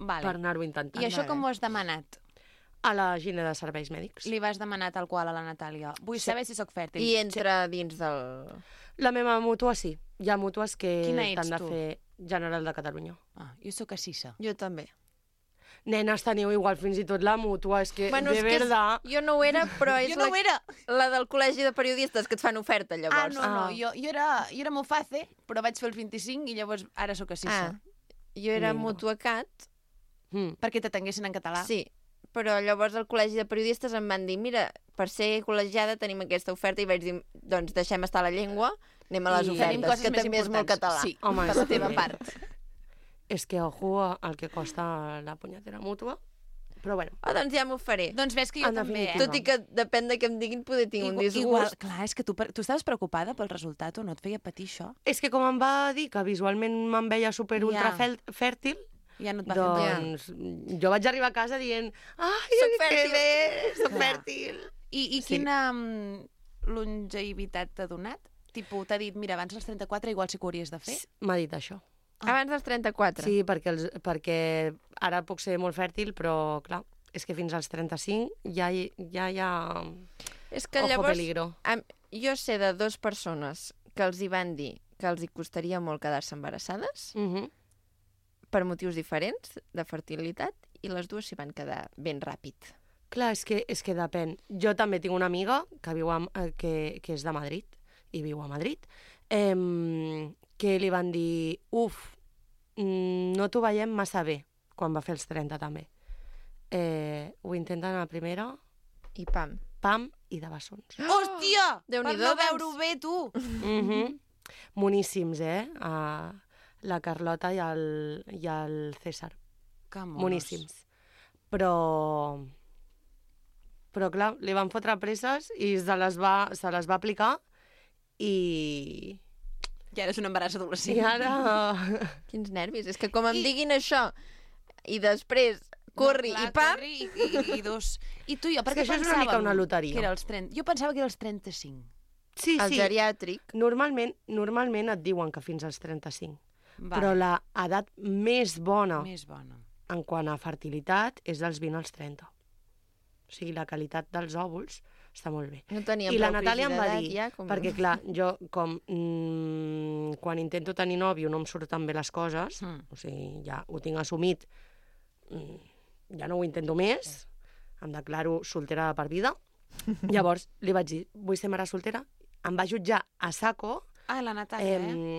anar-ho intentant. I això com ho has demanat? A la Gine de Serveis Mèdics. Li vas demanar tal qual a la Natàlia. Vull saber si sóc fèrtil. I entra dins del... La meva mútua sí. Hi ha mútues que t'han de tu? fer General de Catalunya. Jo sóc a Cissa. Jo també. Nenes, teniu igual fins i tot la mútua, és que, bueno, de verdad... Jo no ho era, però és jo no ho era. La del col·legi de periodistes que et fan oferta, llavors. No, jo era molt fàcil, però vaig fer els 25 i llavors ara sóc a Cissa. Jo era Mutuacat. Perquè t'atenguessin en català. Sí, però llavors al col·legi de periodistes em van dir, mira, per ser col·legiada tenim aquesta oferta, i vaig dir, doncs deixem estar la llengua, anem a les ofertes, que també és molt català. Sí, home, per la teva part. És que, ojo, el que costa la punyetera mútua, però bueno. Doncs ja m'ho faré. Doncs ves que jo també, Tot i que depèn de què em diguin, poder tinc un disgust. Igual, clar, és que tu estaves preocupada pel resultat o no et feia patir això? És que com em va dir que visualment me'n veia super ultra fèrtil, ja no et va fer doncs jo vaig arribar a casa dient ai, soc fèrtil. Que bé, soc fèrtil. I quina longevitat t'ha donat? Tipo, t'ha dit, mira, abans dels 34 igual sí que ho hauries de fer? M'ha dit això. Abans dels 34? Sí, perquè ara puc ser molt fèrtil, però clar, és que fins als 35 ja hi ha... És que ojo llavors, peligro. Jo sé de 2 persones que els hi van dir que els hi costaria molt quedar-se embarassades, per motius diferents de fertilitat, i les dues s'hi van quedar ben ràpid. Clar, és que depèn. Jo també tinc una amiga que viu que és de Madrid, i viu a Madrid, que li van dir, no t'ho veiem massa bé, quan va fer els 30 també. Ho intenten a la primera... I pam. Pam i de bessons. Hòstia! Per Déu-n'hi-do, no veure-ho bé, tu! Moníssims, la Carlota i el César. Que monos. Moníssims. Però clar, li van fotre presses i se les va aplicar i... I ara és un embaràs adolescent. I ara... Quins nervis. És que com em diguin això i després corri i pam... I dos... I tu i jo, perquè això és una mica una loteria. Que era els 30. Jo pensava que era els 35. Sí, el geriàtric. Normalment et diuen que fins als 35. Però l'edat més bona en quant a fertilitat és dels 20 als 30. O sigui, la qualitat dels òvuls està molt bé. No teníem I la Natàlia em va dir, ja, com... perquè clar, jo com quan intento tenir nòvio no em surten bé les coses, o sigui, ja ho tinc assumit, ja no ho intento més, em declaro soltera de per vida. Llavors li vaig dir, vull ser mare soltera, em va jutjar a saco. La Natàlia,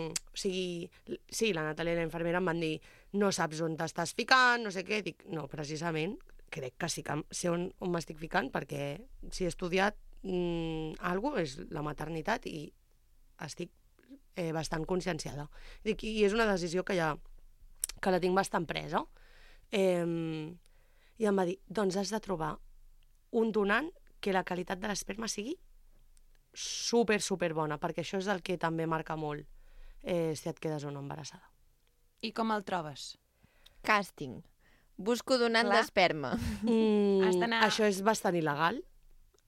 O sigui, sí, la Natàlia i la infermera em van dir, no saps on t'estàs ficant, no sé què. Dic, no, precisament, crec que sí que sé on m'estic ficant, perquè si he estudiat alguna cosa és la maternitat i estic bastant conscienciada. Dic, i és una decisió que la tinc bastant presa. I em va dir, doncs has de trobar un donant que la qualitat de l'esperma sigui super bona, perquè això és el que també marca molt si et quedes o no embarassada. I com el trobes? Càsting. Busco donant d'esperma. Això és bastant il·legal.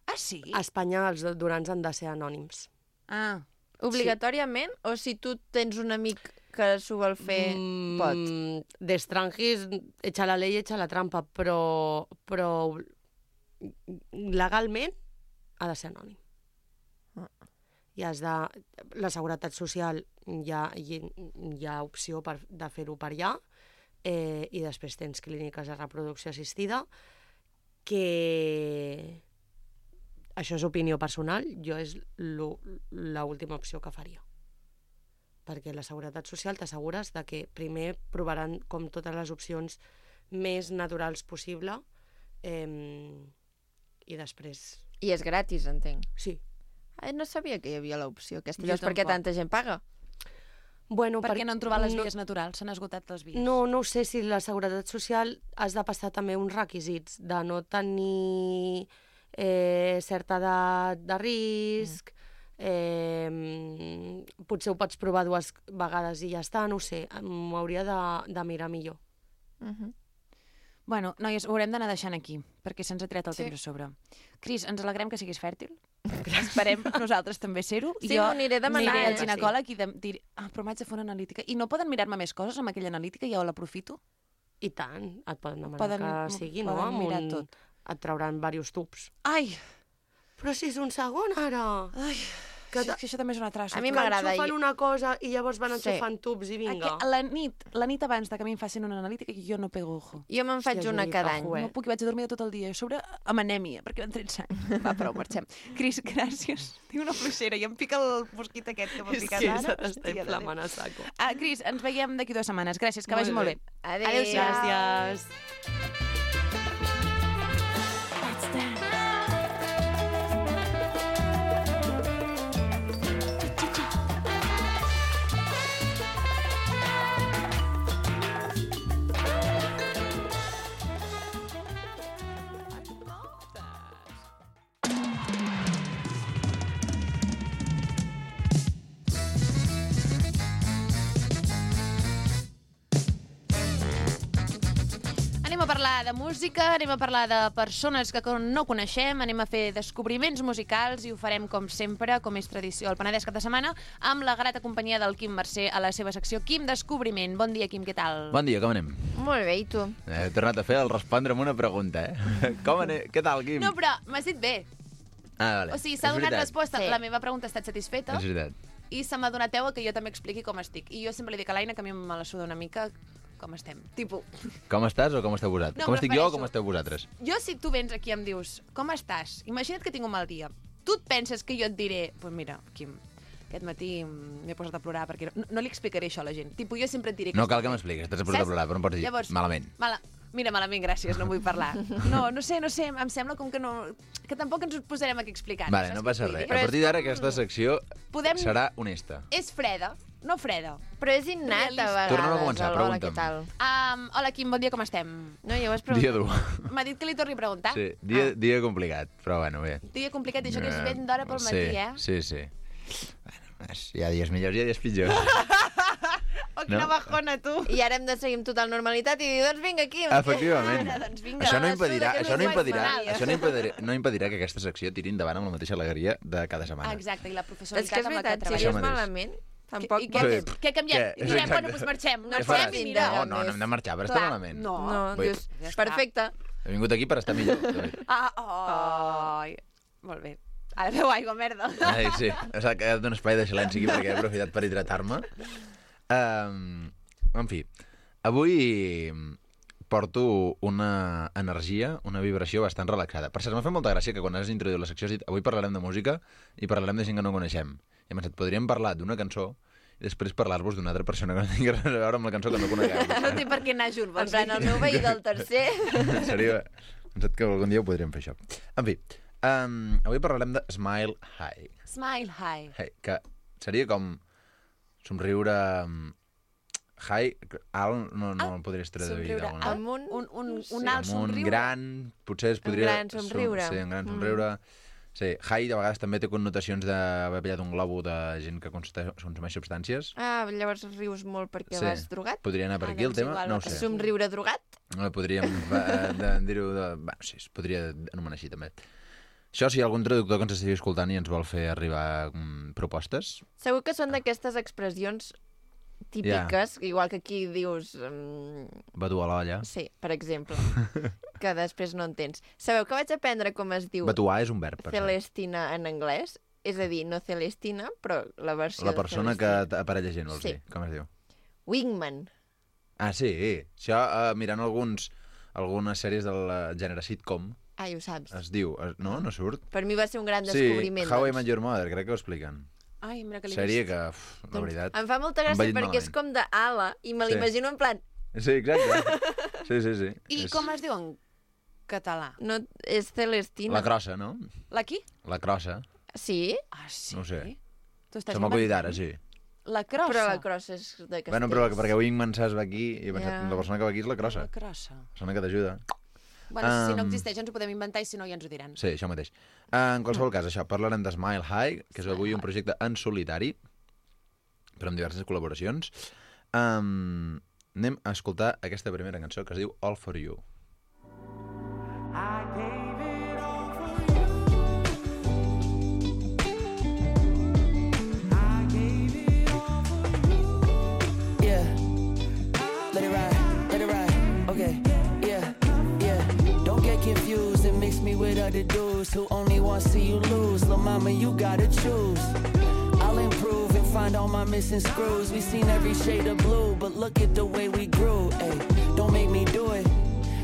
Ah, sí? A Espanya els donants han de ser anònims. Obligatòriament? O si tu tens un amic que s'ho vol fer, pot? D'estrangis, echa la ley, echa la trampa, però legalment ha de ser anònim. I la Seguretat Social hi ha opció de fer-ho per allà, i després tens clíniques de reproducció assistida, que això és opinió personal, jo és l'última opció que faria. Perquè la Seguretat Social t'assegures de que primer provaran com totes les opcions més naturals possible i després... I és gratis, entenc. Sí. No sabia que hi havia l'opció aquesta. Jo Llavors, per què tampoc. tanta gent paga? Bueno, Per què no han trobat les vies naturals? S'han esgotat les vies. No ho sé, si la Seguretat Social has de passar també uns requisits de no tenir certa edat de risc, potser ho pots provar 2 vegades i ja està, no ho sé, m'ho hauria de mirar millor. Bueno, noies, ho haurem d'anar deixant aquí, perquè se'ns ha tret el temps a sobre. Cris, ens alegrem que siguis fèrtil. Esperem nosaltres també ser-ho. Sí, m'ho aniré demanant. Aniré al ginecòleg i diré, però m'haig de fer una analítica. I no poden mirar-me més coses amb aquella analítica i jo l'aprofito? I tant, et poden demanar que sigui, no? Poden mirar tot. Et trauran diversos tubs. Ai! Però si és un segon, ara! Ai, és que això també és una traça. A mi m'agrada. Enxufen una cosa i llavors van enxufant tubs i vinga. La nit abans de que a mi em facin una analítica, jo no pego ojo. Jo me'n faig una cada any. No puc, vaig a dormir tot el dia. A sobre, amb anèmia, perquè m'han tret sang. Va, prou, marxem. Cris, gràcies. Tinc una fluixera i em pica el mosquit aquest que m'ha picat ara. És que s'està inflamant a saco. Cris, ens veiem d'aquí 2 setmanes. Gràcies, que vagi molt bé. Adéu. Gràcies. Anem a parlar de música, anem a parlar de persones que no coneixem, anem a fer descobriments musicals i ho farem, com sempre, com és tradició al Penedès cap de setmana, amb la grata companyia del Quim Mercè a la seva secció Quim Descobriment. Bon dia, Quim, què tal? Bon dia, com anem? Molt bé, i tu? He tornat a fer el respondre amb una pregunta, Com anem? Què tal, Quim? No, però m'has dit bé. Vale. O sigui, s'ha És donat veritat. resposta. Sí. La meva pregunta ha estat satisfeta És veritat. i se m'ha donat peu a que jo també expliqui com estic. I jo sempre li dic a l'Aina que a mi me la suda una mica com estem. Tipo, Com estàs o com esteu vosaltres? No, com em estic jo o refereixo- com esteu vosaltres? jo si tu vens aquí i em dius com estàs? Imagina't que tinc un mal dia. Tu et penses que jo et diré pues mira, Quim, aquest matí m'he posat a plorar perquè no li explicaré això a la gent. Tipo, jo sempre et diré que No cal estic que bé. m'expliquis, t'has posat a Saps? plorar, però no pots dir Llavors, malament. Mira, malament, gràcies, no vull parlar. No sé, em sembla com que no... Que tampoc ens ho posarem aquí a explicar. Vale, saps no què passa vull res. dir? A partir d'ara aquesta secció Podem- serà honesta. És freda, no freda. Però és innat, a vegades. Tornem a començar, Hola, què pregunta'm. tal? Hola, Quim, bon dia, com estem? No, ja ho has Dia preguntat. dur. M'ha dit que li torni a preguntar. Sí, dia complicat, però bueno, bé. Dia complicat, i això que és ben d'hora pel matí, Sí. Bueno, hi ha dies millors i hi ha dies pitjors. Oh, quina No. bajona, tu. I ara hem de seguir amb total normalitat i dir, doncs vinga, aquí. Efectivament. Doncs vinga. Això no la impedirà, suda, que això no no impedirà, guais això no impedirà que aquesta secció tiri endavant amb la mateixa alegria de cada setmana. Exacte, i la És que professionalitat és amb la que veritat, si treballem. Això és mateix. malament, tampoc... I què, Sí. què canviem? Què? I direm, Exacte. bueno, doncs marxem. Què Marxem faràs? i mira. No hem de marxar per estar Clar, malament. no. No, Vull- dius, Ja està. perfecte. He vingut aquí per estar millor. Ai, molt bé. Ara feu aigua, merda. Ai, sí, s'ha quedat un espai de silenci aquí perquè he aprofitat per hidratar-me. En fi, avui porto una energia, una vibració bastant relaxada. Per cert, m'ha fet molta gràcia que quan has introduït la secció has dit avui parlarem de música i parlarem de gent que no coneixem. I hem pensat, podríem parlar d'una cançó i després parlar-vos d'una altra persona que no tingui res a veure amb la cançó que no conegueu. No té per què anar junt. En plan, el meu veí del tercer... Seria... He pensat que algun dia ho podríem fer, això. En fi, avui parlarem de Smile High. Smile high. Hey, que seria com somriure high, alt, no el podries traduir Somriure d'alguna amb manera. un alt Amb un somriure. gran, potser es podria... gran somriure. Sí, un gran somriure. Sí, high de vegades també té connotacions d'haver pillat un globo de gent que consumeix substàncies. Ah, llavors rius molt perquè Sí. vas drogat? Podria anar per aquí el doncs tema, igual, no ho sé. Somriure drogat? Podríem dir-ho... Bueno, sí, es podria anomenar així també. Això, si hi ha algun traductor que ens estigui escoltant i ens vol fer arribar propostes... Segur que són d'aquestes expressions típiques, igual que aquí dius... Batu a l'olla. Sí, per exemple, que després no entens. Sabeu que vaig aprendre com es diu Batuar és un verb, per cert. Celestina en anglès? És a dir, no Celestina, però la versió La persona de que Celestina. aparella gent, vols Sí. dir? Com es diu? Wingman. Ah, sí. Això, mirant algunes sèries del gènere sitcom, Ai, ho saps. Es diu... No surt? Per mi va ser un gran descobriment. Sí, How I Met Your Mother, crec que ho expliquen. Ai, mira que l'he Sèrie vist. que, la veritat... Em fa molta gràcia perquè és com d'ala i me l'imagino en plan... Sí, exacte. Sí. I com es diu en català? No, és Celestina. La crossa, no? La qui? La crossa. Sí? Ah, sí? No ho sé. Se m'ha acudit ara, sí. La crossa? Però la crossa és de Castells. Bueno, però perquè Wingman saps va aquí i he pensat, la persona que va aquí és la crossa. La crossa. La persona que t'ajuda. Bueno, si no existeix ens ho podem inventar i si no ja ens ho diran. Sí, això mateix. En qualsevol cas, això, parlarem de Smile High, que és avui un projecte en solitari, però amb diverses col·laboracions. Anem a escoltar aquesta primera cançó que es diu All For You. With other dudes who only want to see you lose. Lil' mama, you gotta choose. I'll improve and find all my missing screws. We've seen every shade of blue, but look at the way we grew. Ay, don't make me do it.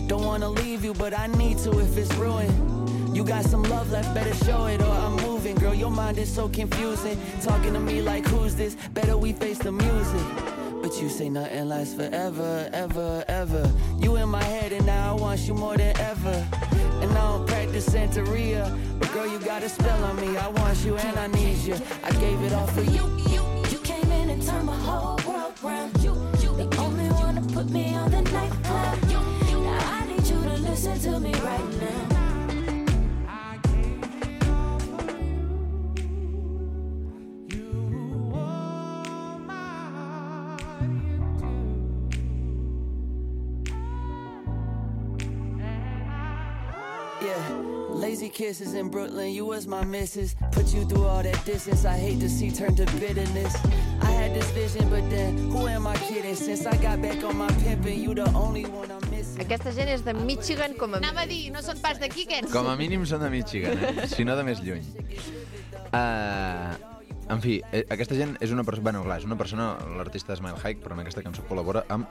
Don't wanna leave you, but I need to if it's ruined. You got some love left, better show it or I'm moving. Girl, your mind is so confusing. Talking to me like, who's this? Better we face the music. But you say nothing lasts forever, ever, ever. You in my head and now I want you more than ever. And I don't practice Santeria, but girl, you got a spell on me. I want you and I need you. I gave it all for you. You came in and turned my whole world round. You the only one to put me on the nightclub. Now I need you to listen to me right now. Lazy kisses in Brooklyn, you was my missus. Put you through all that distance, I hate to see turn to bitterness. I had this vision, but then, who am I kidding? Since I got back on my pimpin', you the only one I'm missing. Aquesta gent és de Michigan com a... Anava a dir, no són pas d'aquí, aquests. Com a mínim són de Michigan, si no de més lluny. En fi, aquesta gent és una persona... Bueno, clar, és una persona, l'artista Smile High, però en aquesta cançó col·labora amb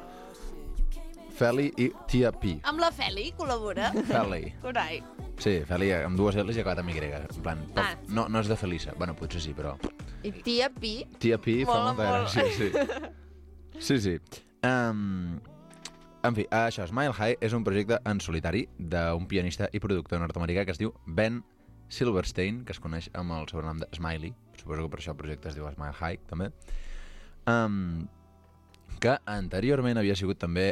Feli i Tia P. Amb la Feli col·labora? Feli. Carai. Sí, Feli amb dues L's i acabat amb Y. En plan, no és de Felisa. Bueno, potser sí, però... I Tia P? Tia P fa molta gràcia, sí. Sí. En fi, això, Smile High és un projecte en solitari d'un pianista i productor nord-americà que es diu Ben Silverstein, que es coneix amb el sobrenom de Smiley. Suposo que per això el projecte es diu Smile High, també. Que anteriorment havia sigut també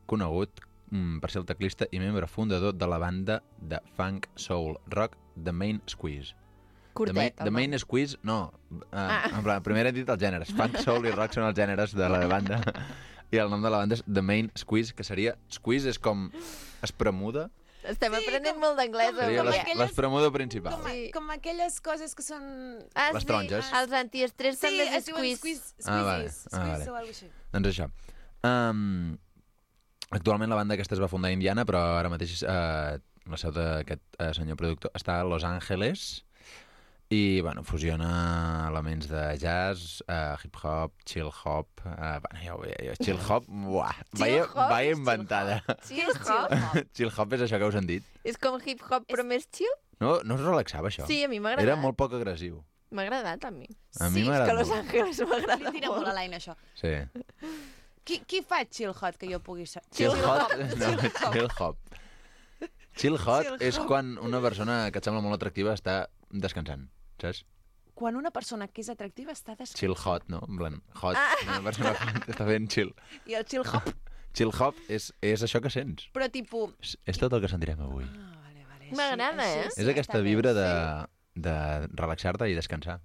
conegut per ser el teclista i membre fundador de la banda de funk soul rock The Main Squeeze. Curtet, The Main Squeeze, no. En plan, primer he dit els gèneres. Funk, soul i rock són els gèneres de la banda. I el nom de la banda és The Main Squeeze, que seria... Squeeze és com espremuda. Estem aprenent molt d'anglès. Seria l'espremuda principal. Com aquelles coses que són... Les taronges. Els antiestrès també és squeeze. Vale. Squeeze o alguna cosa així. Doncs això. Actualment la banda aquesta es va fundar a Indiana, però ara mateix la seu d'aquest senyor productor està a Los Angeles i, bueno, fusiona elements de jazz, hip-hop, chill-hop... Bueno, ja ho veia, chill-hop, vaya inventada. Chill-hop? Chill-hop és això que us han dit. És com hip-hop però més chill? No us relaxava, això? Sí, a mi m'ha agradat. Era molt poc agressiu. M'ha agradat, a mi. A mi m'ha agradat molt. Sí, és que Los Angeles m'agrada molt. Li tira molt a l'aina, això. Sí. Qui fa chill hot que jo pugui saber? Chill hot? No, chill hop. Chill hot és quan una persona que et sembla molt atractiva està descansant, saps? Quan una persona que és atractiva està descansant. Chill hot, no? En plan, hot, una persona hot està fent chill. I el chill hop? Chill hop és això que sents. Però tipus... És tot el que sentirem avui. M'agrada, És aquesta vibra de relaxar-te i descansar.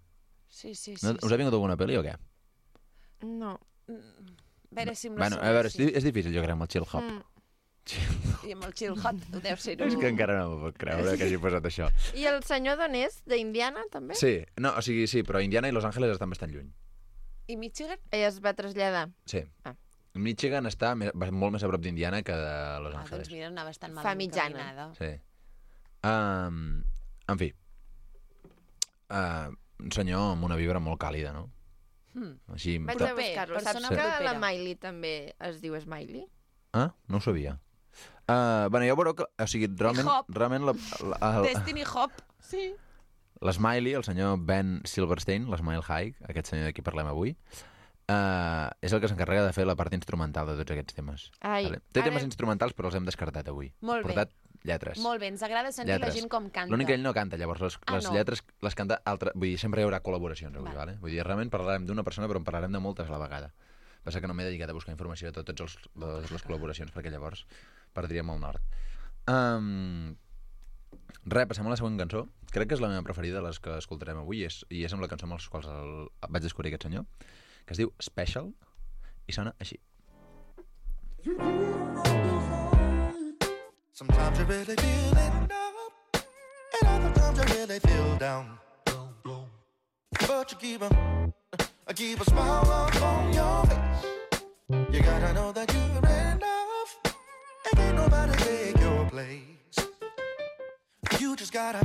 Sí. Us ha vingut alguna pel·li o què? No. A veure si bueno, a veure, és difícil, jo crec, amb el chill hop. I amb el chill hot, deu ser... És que encara no m'ho puc creure que hagi posat això. I el senyor d'on és? D'Indiana, també? Sí, no, o sigui, sí, però Indiana i Los Angeles estan bastant lluny. I Michigan? Ella es va traslladar. Sí. Michigan està molt més a prop d'Indiana que de Los Angeles. Doncs mira, anava bastant mal Fa mitjana. encaminada. Sí. En fi, un senyor amb una vibra molt càlida, no? Així... Vaig a buscar-lo. Saps que la Miley també es diu Smiley? Ah, no ho sabia. Bueno, ja veureu que... O sigui, realment Destiny Hop. Sí. L'Smiley, el senyor Ben Silverstein, l'Smile High, aquest senyor de qui parlem avui, és el que s'encarrega de fer la part instrumental de tots aquests temes. Vale? Té temes instrumentals, però els hem descartat avui. Molt bé. Portat lletres. Molt bé, ens agrada sentir la gent com canta. L'únic que ell no canta, llavors les lletres les canta altra... Vull dir, sempre hi haurà col·laboracions avui, vale? Vull dir, realment parlarem d'una persona, però en parlarem de moltes a la vegada. Passa que no m'he dedicat a buscar informació de totes les col·laboracions, perquè llavors perdríem el nord. Passem a la següent cançó. Crec que és la meva preferida de les que escoltarem avui i és amb la cançó amb les quals vaig descobrir aquest senyor, que es diu Special i sona així. Sometimes you really feeling up, and other times you really feel down. But you keep a smile up on your face. You gotta know that you're enough, and ain't nobody take your place. You just gotta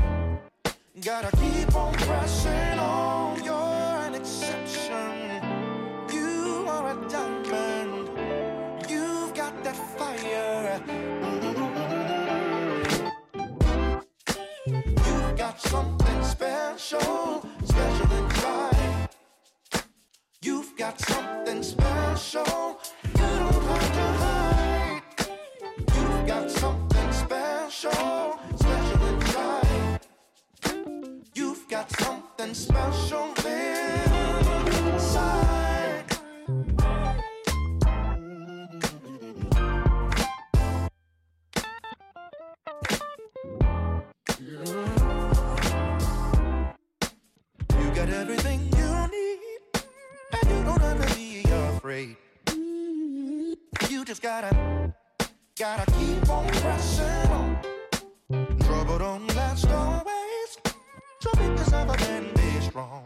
keep on pressing on. You're an exception. You are a diamond. You've got that fire. You've got something special, special inside. You've got something special. You don't have to hide. You've got something special. You've got something special inside. You got everything you need, and you don't have to be afraid. You just gotta keep on pressing on. Trouble don't last always, so make yourself up and be strong.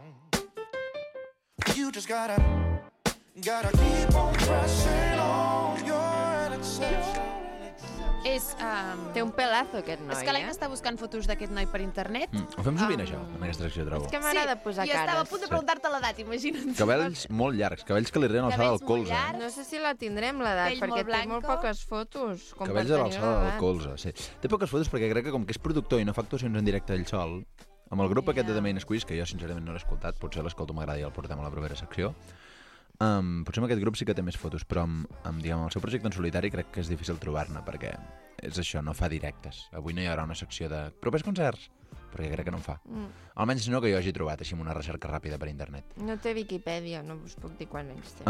You just gotta keep on pressing on. You're an exception. Té un pelazo, aquest noi, És que l'Aina està buscant fotos d'aquest noi per internet. Ho fem sovint, això, en aquesta secció, trobo. És que m'agrada posar cares. I estava a punt de preguntar-te l'edat, imagina't. Cabells molt llargs, cabells que li arriben a l'alçada del colze. No sé si la tindrem, l'edat, perquè té molt poques fotos. Cabells a l'alçada del colze, sí. Té poques fotos perquè crec que com que és productor i no fa actuacions en directe ell sol, amb el grup aquest de The Main Squeeze, que jo sincerament no l'he escoltat, potser l'escolto, m'agrada i el portem a la propera secció, potser amb aquest grup sí que té més fotos, però amb el seu projecte en solitari crec que és difícil trobar-ne, perquè és això, no fa directes. Avui no hi haurà una secció de propers concerts, perquè crec que no en fa. Almenys no que jo hagi trobat així amb una recerca ràpida per internet. No té Viquipèdia, no us puc dir quan anys té.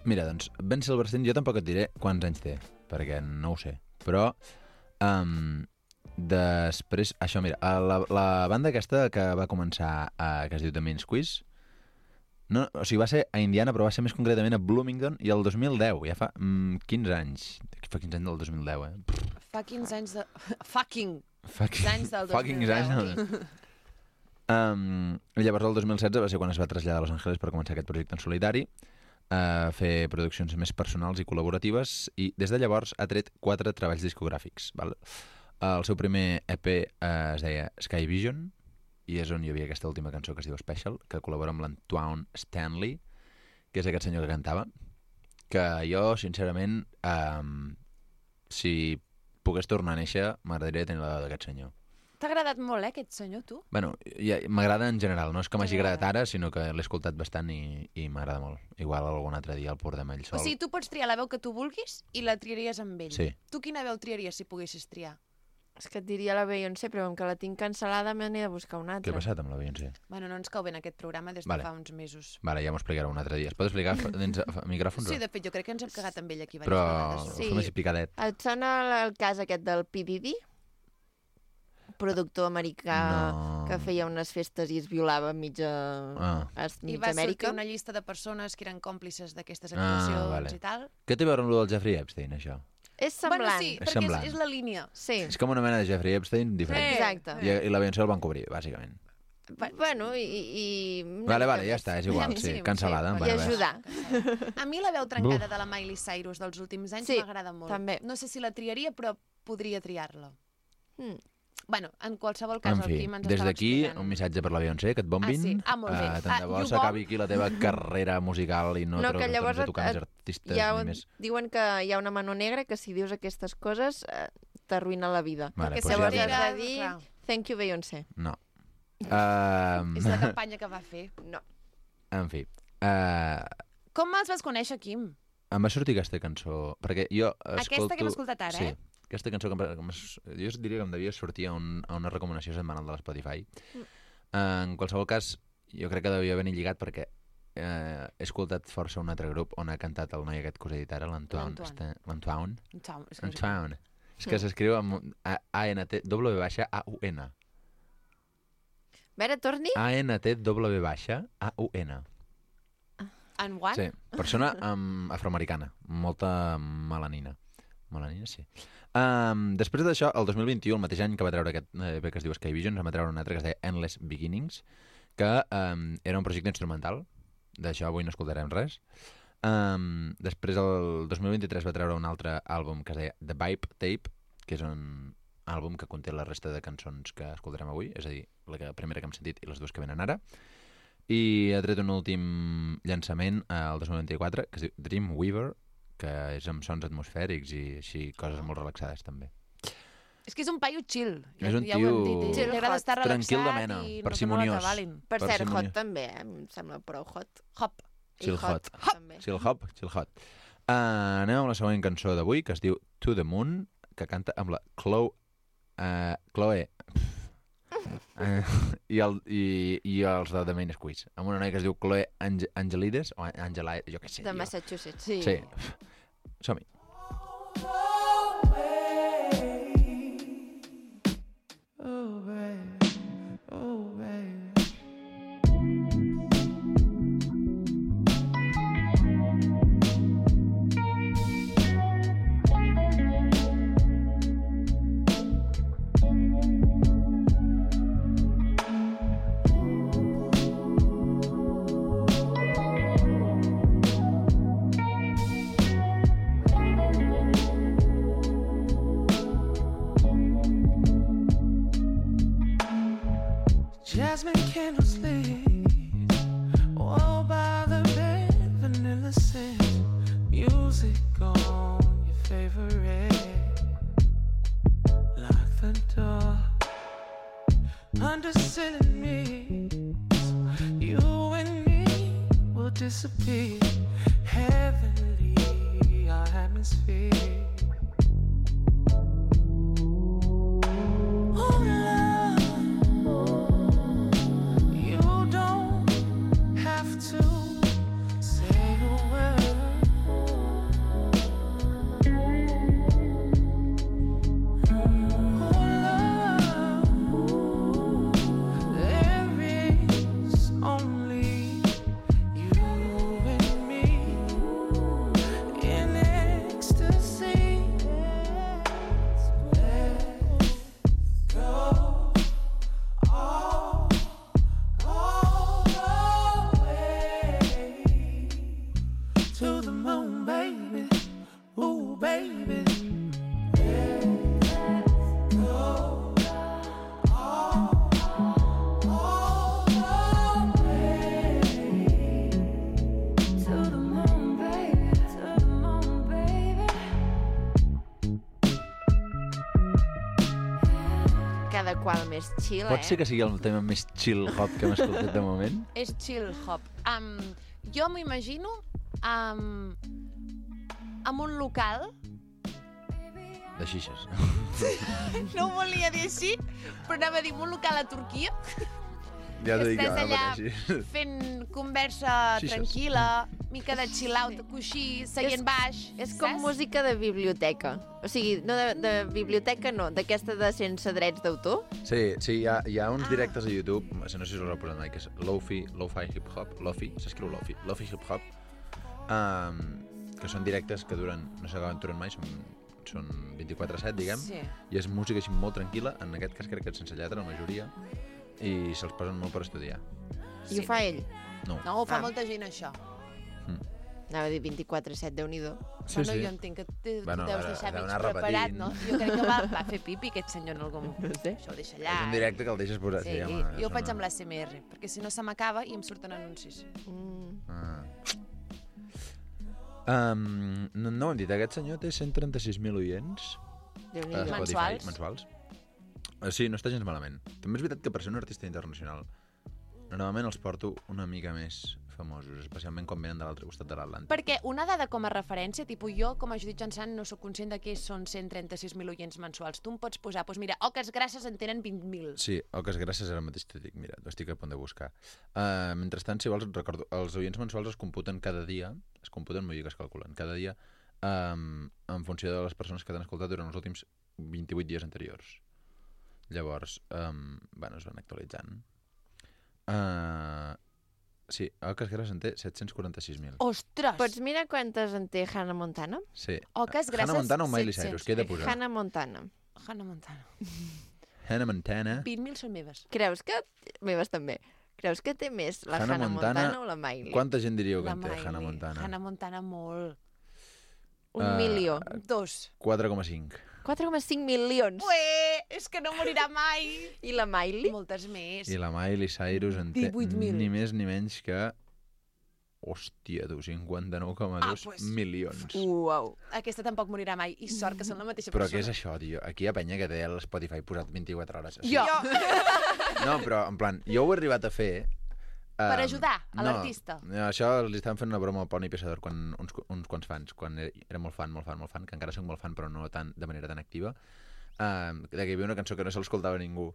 Mira, doncs, Ben Silverstein, jo tampoc et diré quants anys té, perquè no ho sé, però després, això, mira, la banda aquesta que va començar, que es diu The Main Squeeze, no, o sigui, va ser a Indiana, però va ser més concretament a Bloomington, i el 2010, ja fa 15 anys. Fa 15 anys del 2010, Fa 15 anys de... Fucking anys del 2010. Fucking anys. Llavors, el 2016 va ser quan es va traslladar a Los Angeles per començar aquest projecte en solitari, a fer produccions més personals i col·laboratives, i des de llavors ha tret 4 treballs discogràfics. Val? El seu primer EP es deia Sky Vision, i és on hi havia aquesta última cançó que es diu Special, que col·labora amb l'Antoine Stanley, que és aquest senyor que cantava, que jo, sincerament, si pogués tornar a néixer, m'agradaria tenir l'edat d'aquest senyor. T'ha agradat molt, aquest senyor, tu? Bueno, m'agrada en general, no és que m'hagi agradat ara, sinó que l'he escoltat bastant i m'agrada molt. Igual algun altre dia el portem ell sol. O sigui, tu pots triar la veu que tu vulguis i la triaries amb ell. Sí. Tu quina veu triaries si poguessis triar? És que et diria la Beyoncé, però com que la tinc cancel·lada me n'he de buscar una altra. Què ha passat amb la Beyoncé? Bueno, no ens cau bé en aquest programa des de fa uns mesos. Vale, ja m'ho explicarà un altre dia. Es pot explicar dins micròfons? Sí, de fet, jo crec que ens hem cagat amb ell aquí però vegades. Però fem així picadet. Et sona el cas aquest del P. Diddy? Productor americà que feia unes festes i es violava mitja I va sortir una llista de persones que eren còmplices d'aquestes actuacions i tal. Què té a veure amb el del Jeffrey Epstein, això? És semblant. Bueno, sí, perquè és la línia. Sí. És com una mena de Jeffrey Epstein diferent. Sí. Exacte. I la Beyoncé el van cobrir, bàsicament. Bueno, i... Vale, ja està, és igual, sí, cancel·lada. I ajudar. A mi la veu trencada de la Miley Cyrus dels últims anys m'agrada molt. També. No sé si la triaria, però podria triar-la. Bueno, en qualsevol cas, En el fi, Quim ens des estava d'aquí, explicant. un missatge per la Beyoncé, que et bombin. Ah, sí? Ah, molt bé. Tant de bo You s'acabi aquí la teva carrera musical i no que llavors tornis a tocar més artistes ni més. diuen que hi ha una mano negra que si dius aquestes coses t'arruïna la vida. Vale, Perquè pues llavors ja has de diré. dir Clar. thank you Beyoncé. No. És la campanya que va fer. No. En fi. Com els vas conèixer, Quim? Em va sortir aquesta cançó, perquè jo escolto... Aquesta que hem escoltat ara, sí, aquesta cançó jo diria que em devia sortir a una recomanació setmanal de l'Spotify. En qualsevol cas, jo crec que devia venir lligat perquè he escoltat força un altre grup on ha cantat el noi aquest que us he dit ara, l'Antoine. És que s'escriu amb A-N-T-W-A-U-N. A veure, torni? A-N-T-W-A-U-N. En Juan? Sí, persona afroamericana, molta melanina. Melanina, sí. Després d'això, el 2021, el mateix any que va treure aquest EP que es diu Sky Visions, va treure un altre que es deia Endless Beginnings, que era un projecte instrumental. D'això avui no escoltarem res. Després, el 2023, va treure un altre àlbum que es deia The Vibe Tape, que és un àlbum que conté la resta de cançons que escoltarem avui, és a dir, la primera que hem sentit i les dues que venen ara. I ha tret un últim llançament el 2024 que es diu Dreamweaver, que és amb sons atmosfèrics i així coses molt relaxades també. És que és un paio chill. És un ja ho hem dit. tio Li agrada estar tranquil de relaxat mena, i parsimoniós. no t'avalin. Per cert, hot també, em sembla prou hot. Hop. Chill hot. També. Chill hop, chill hot. Anem amb la següent cançó d'avui, que es diu To the Moon, que canta amb la Chloe i els de The Main Squeeze, amb una noia que es diu Chloe Angelides, o Angelides, jo què sé. De Massachusetts. Sí. Som-hi. Oh, baby. Oh, baby. Jasmine candles lit, all by the bed, vanilla scent, music on your favorite. Lock the door, under ceiling mist, you and me will disappear, heavenly our atmosphere. Cada qual més chill, Pot ser que sigui el tema més chill hop que hem escoltat de moment? És chill hop. Jo m'imagino amb un local... De xixes. No ho volia dir així, però anava a dir un local a Turquia. Ja t'ho dic, Estàs ara allà mateix. fent conversa Xixes. tranquil·la, mica de chill-out, coixí, seient baix. És com música de biblioteca. O sigui, no de biblioteca, no, d'aquesta de sense drets d'autor. Sí, hi ha uns directes a YouTube, no sé si us ho heu posat mai, que és Lo-Fi Hip-Hop, Lo-Fi, s'escriu Lo-Fi Hip-Hop, que són directes que duren, no sé quan duren mai, són 24/7, diguem, Sí. i és música així molt tranquil·la, en aquest cas crec que sense lletra, la majoria, i se'ls posen molt per estudiar. I ho fa ell? No. No, ho fa molta gent, això. Anava a dir 24/7, Déu-n'hi-do. Sí, Bueno, sí. jo entenc que deus Bueno, deixar deu mig anar preparat, repetint. no? Jo crec que va fer pipi aquest senyor en algun moment. Això ho deixa allà. És un directe que el deixes posar. Sí, home, jo ho és faig una- amb l'ASMR, perquè si no se m'acaba i em surten anuncis. No ho hem dit, aquest senyor té 136.000 oients. Déu-n'hi-do. a Spotify, Mensuals. mensuals. Sí, no està gens malament. També és veritat que per ser un artista internacional normalment els porto una mica més famosos, especialment quan venen de l'altre costat de l'Atlàntic. Perquè una dada com a referència, tipus jo, com a Judit Janssan, no sóc conscient de què són 136.000 oients mensuals. Tu em pots posar, doncs mira, Oques Grasses en tenen 20.000. Sí, Oques Grasses ara mateix t'ho dic, mira, ho estic a punt de buscar. Mentrestant, si vols, et recordo, els oients mensuals es computen cada dia, vull dir que es calculen, cada dia en funció de les persones que t'han escoltat durant els últims 28 dies anteriors. Llavors, bueno, es van actualitzant. Sí, Oques Grasses en té 746.000. Ostres! Pots mirar quantes en té Hannah Montana? Sí. Oques Grasses, Hannah Montana o Miley 700. Cyrus? Què he de posar? Hannah Montana. Hannah Montana. Hannah Montana. 20.000 són meves. Creus que... Meves també. Creus que té més la Hannah Montana o la Miley? Quanta gent diríeu que La en té Miley. Hannah Montana? Hannah Montana molt. 1 milió. 2. 4,5. 4,5 milions. Ué, és que no morirà mai. I la Miley? Moltes més. I la Miley Cyrus en té 18.000. ni més ni menys que... Hòstia, tu, 59,2 milions. Uau. Aquesta tampoc morirà mai. I sort que són la mateixa Però persona. què és això, tio? Aquí hi ha penya que té l'Spotify posat 24 hores. Jo! No, però, en plan, jo ho he arribat a fer... Per ajudar a l'artista. No, això li estaven fent una broma al Poni Pesador quan, uns quants fans, quan era molt fan, que encara soc molt fan, però no tan, de manera tan activa, de que hi havia una cançó que no se l'escoltava ningú.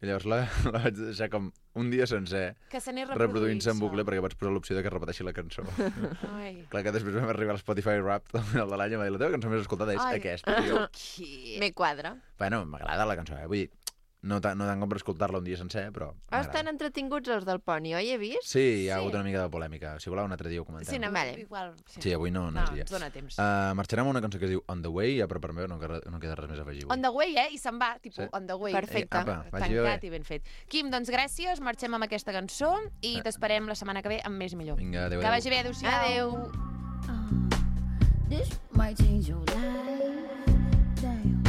I llavors la vaig deixar com un dia sencer Que se n'és reproduint-se en bucle perquè vaig posar l'opció de que repeteixi la cançó. Ai. Clar que després vam arribar a l'Spotify Wrapped al final de l'any i em va dir la teva cançó més escoltada és Ai. aquesta. Tio. Me quadra. Bueno, m'agrada la cançó, vull dir, no tant com per escoltar-la un dia sencer, però Estan entretinguts els del Poni, oi? He vist? sí, hi ha hagut una mica de polèmica. Si voleu un altre dia ho comentem. Sí, Vale. igual. Sí, avui no és dia. ens dona temps. Marxarem a una cançó que es diu On the Way, ja per part meva no queda res més a afegir. On the way, I se'n va, tipus, Sí. on the way. Perfecte. Apa, vagi bé. Tancat i ben fet. Quim, doncs gràcies, marxem amb aquesta cançó i t'esperem la setmana que ve amb més i millor. Vinga, adéu, Que adéu. vagi bé, adéu-siau. Adéu. This might change your life. Damn.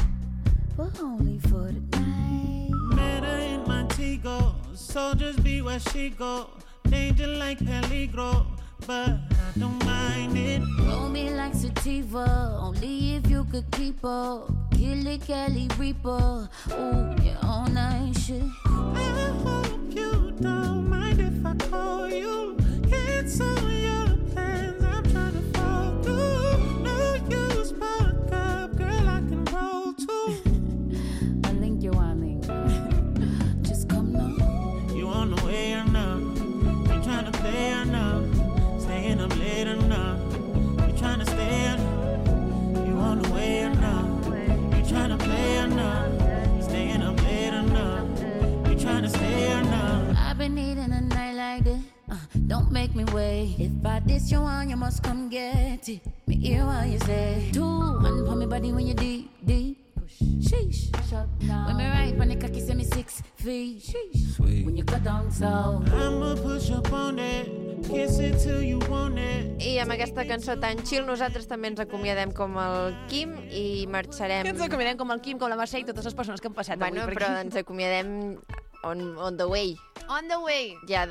But only for the night. Met her in Montego, soldiers be where she go. Danger like peligro, but I don't mind it. Roll me like sativa, only if you could keep up. Kill it, Kelly Reaper. Ooh, yeah, all night shit. I hope you don't mind if I call you. Cancel your plans, I'm trying to fall through. No use, fuck up, girl, I can roll too. I link you, I link. Just come now. You on the way or not? You trying to play or not? Staying up late or not? You trying to stay or not? You on the way or not? You trying to play or not? Staying up late or not? You trying to stay or not? I've been needing a night like this. Don't make me wait. If I diss you on, you must come get it. Me hear what you say. 2, 1 for me body when you deep, deep. Sheesh. Shut down. When me right, when the cocky say me 6 feet. Sheesh. Sweet. When you cut down so. I'ma push up on it. Kiss it till you want it. I amb aquesta cançó tan chill nosaltres també ens acomiadem com el Quim i marxarem... Que ens acomiadem com el Quim, com la Mercè i totes les persones que han passat Bueno, avui per però aquí. ens acomiadem on the way. On the way. Ja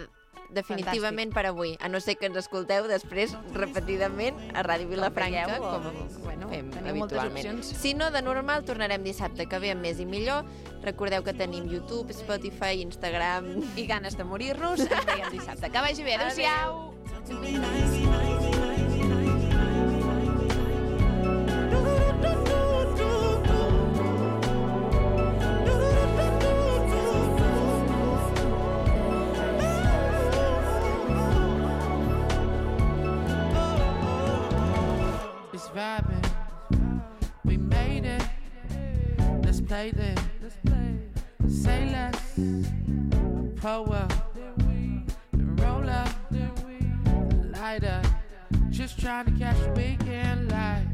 definitivament per avui. A no ser que ens escolteu després repetidament a Ràdio Vilafranca, veieu, com bueno, fem teniu moltes habitualment. opcions. Si no, de normal, tornarem dissabte que ve amb més i millor. Recordeu que tenim YouTube, Spotify, Instagram... I ganes de morir-nos. Ens veiem dissabte. Que vagi bé. Adéu-siau. It's vibing. We made it. Let's play this. Say less. Pull up. Then roll up. Light up. Just trying to catch the weekend light.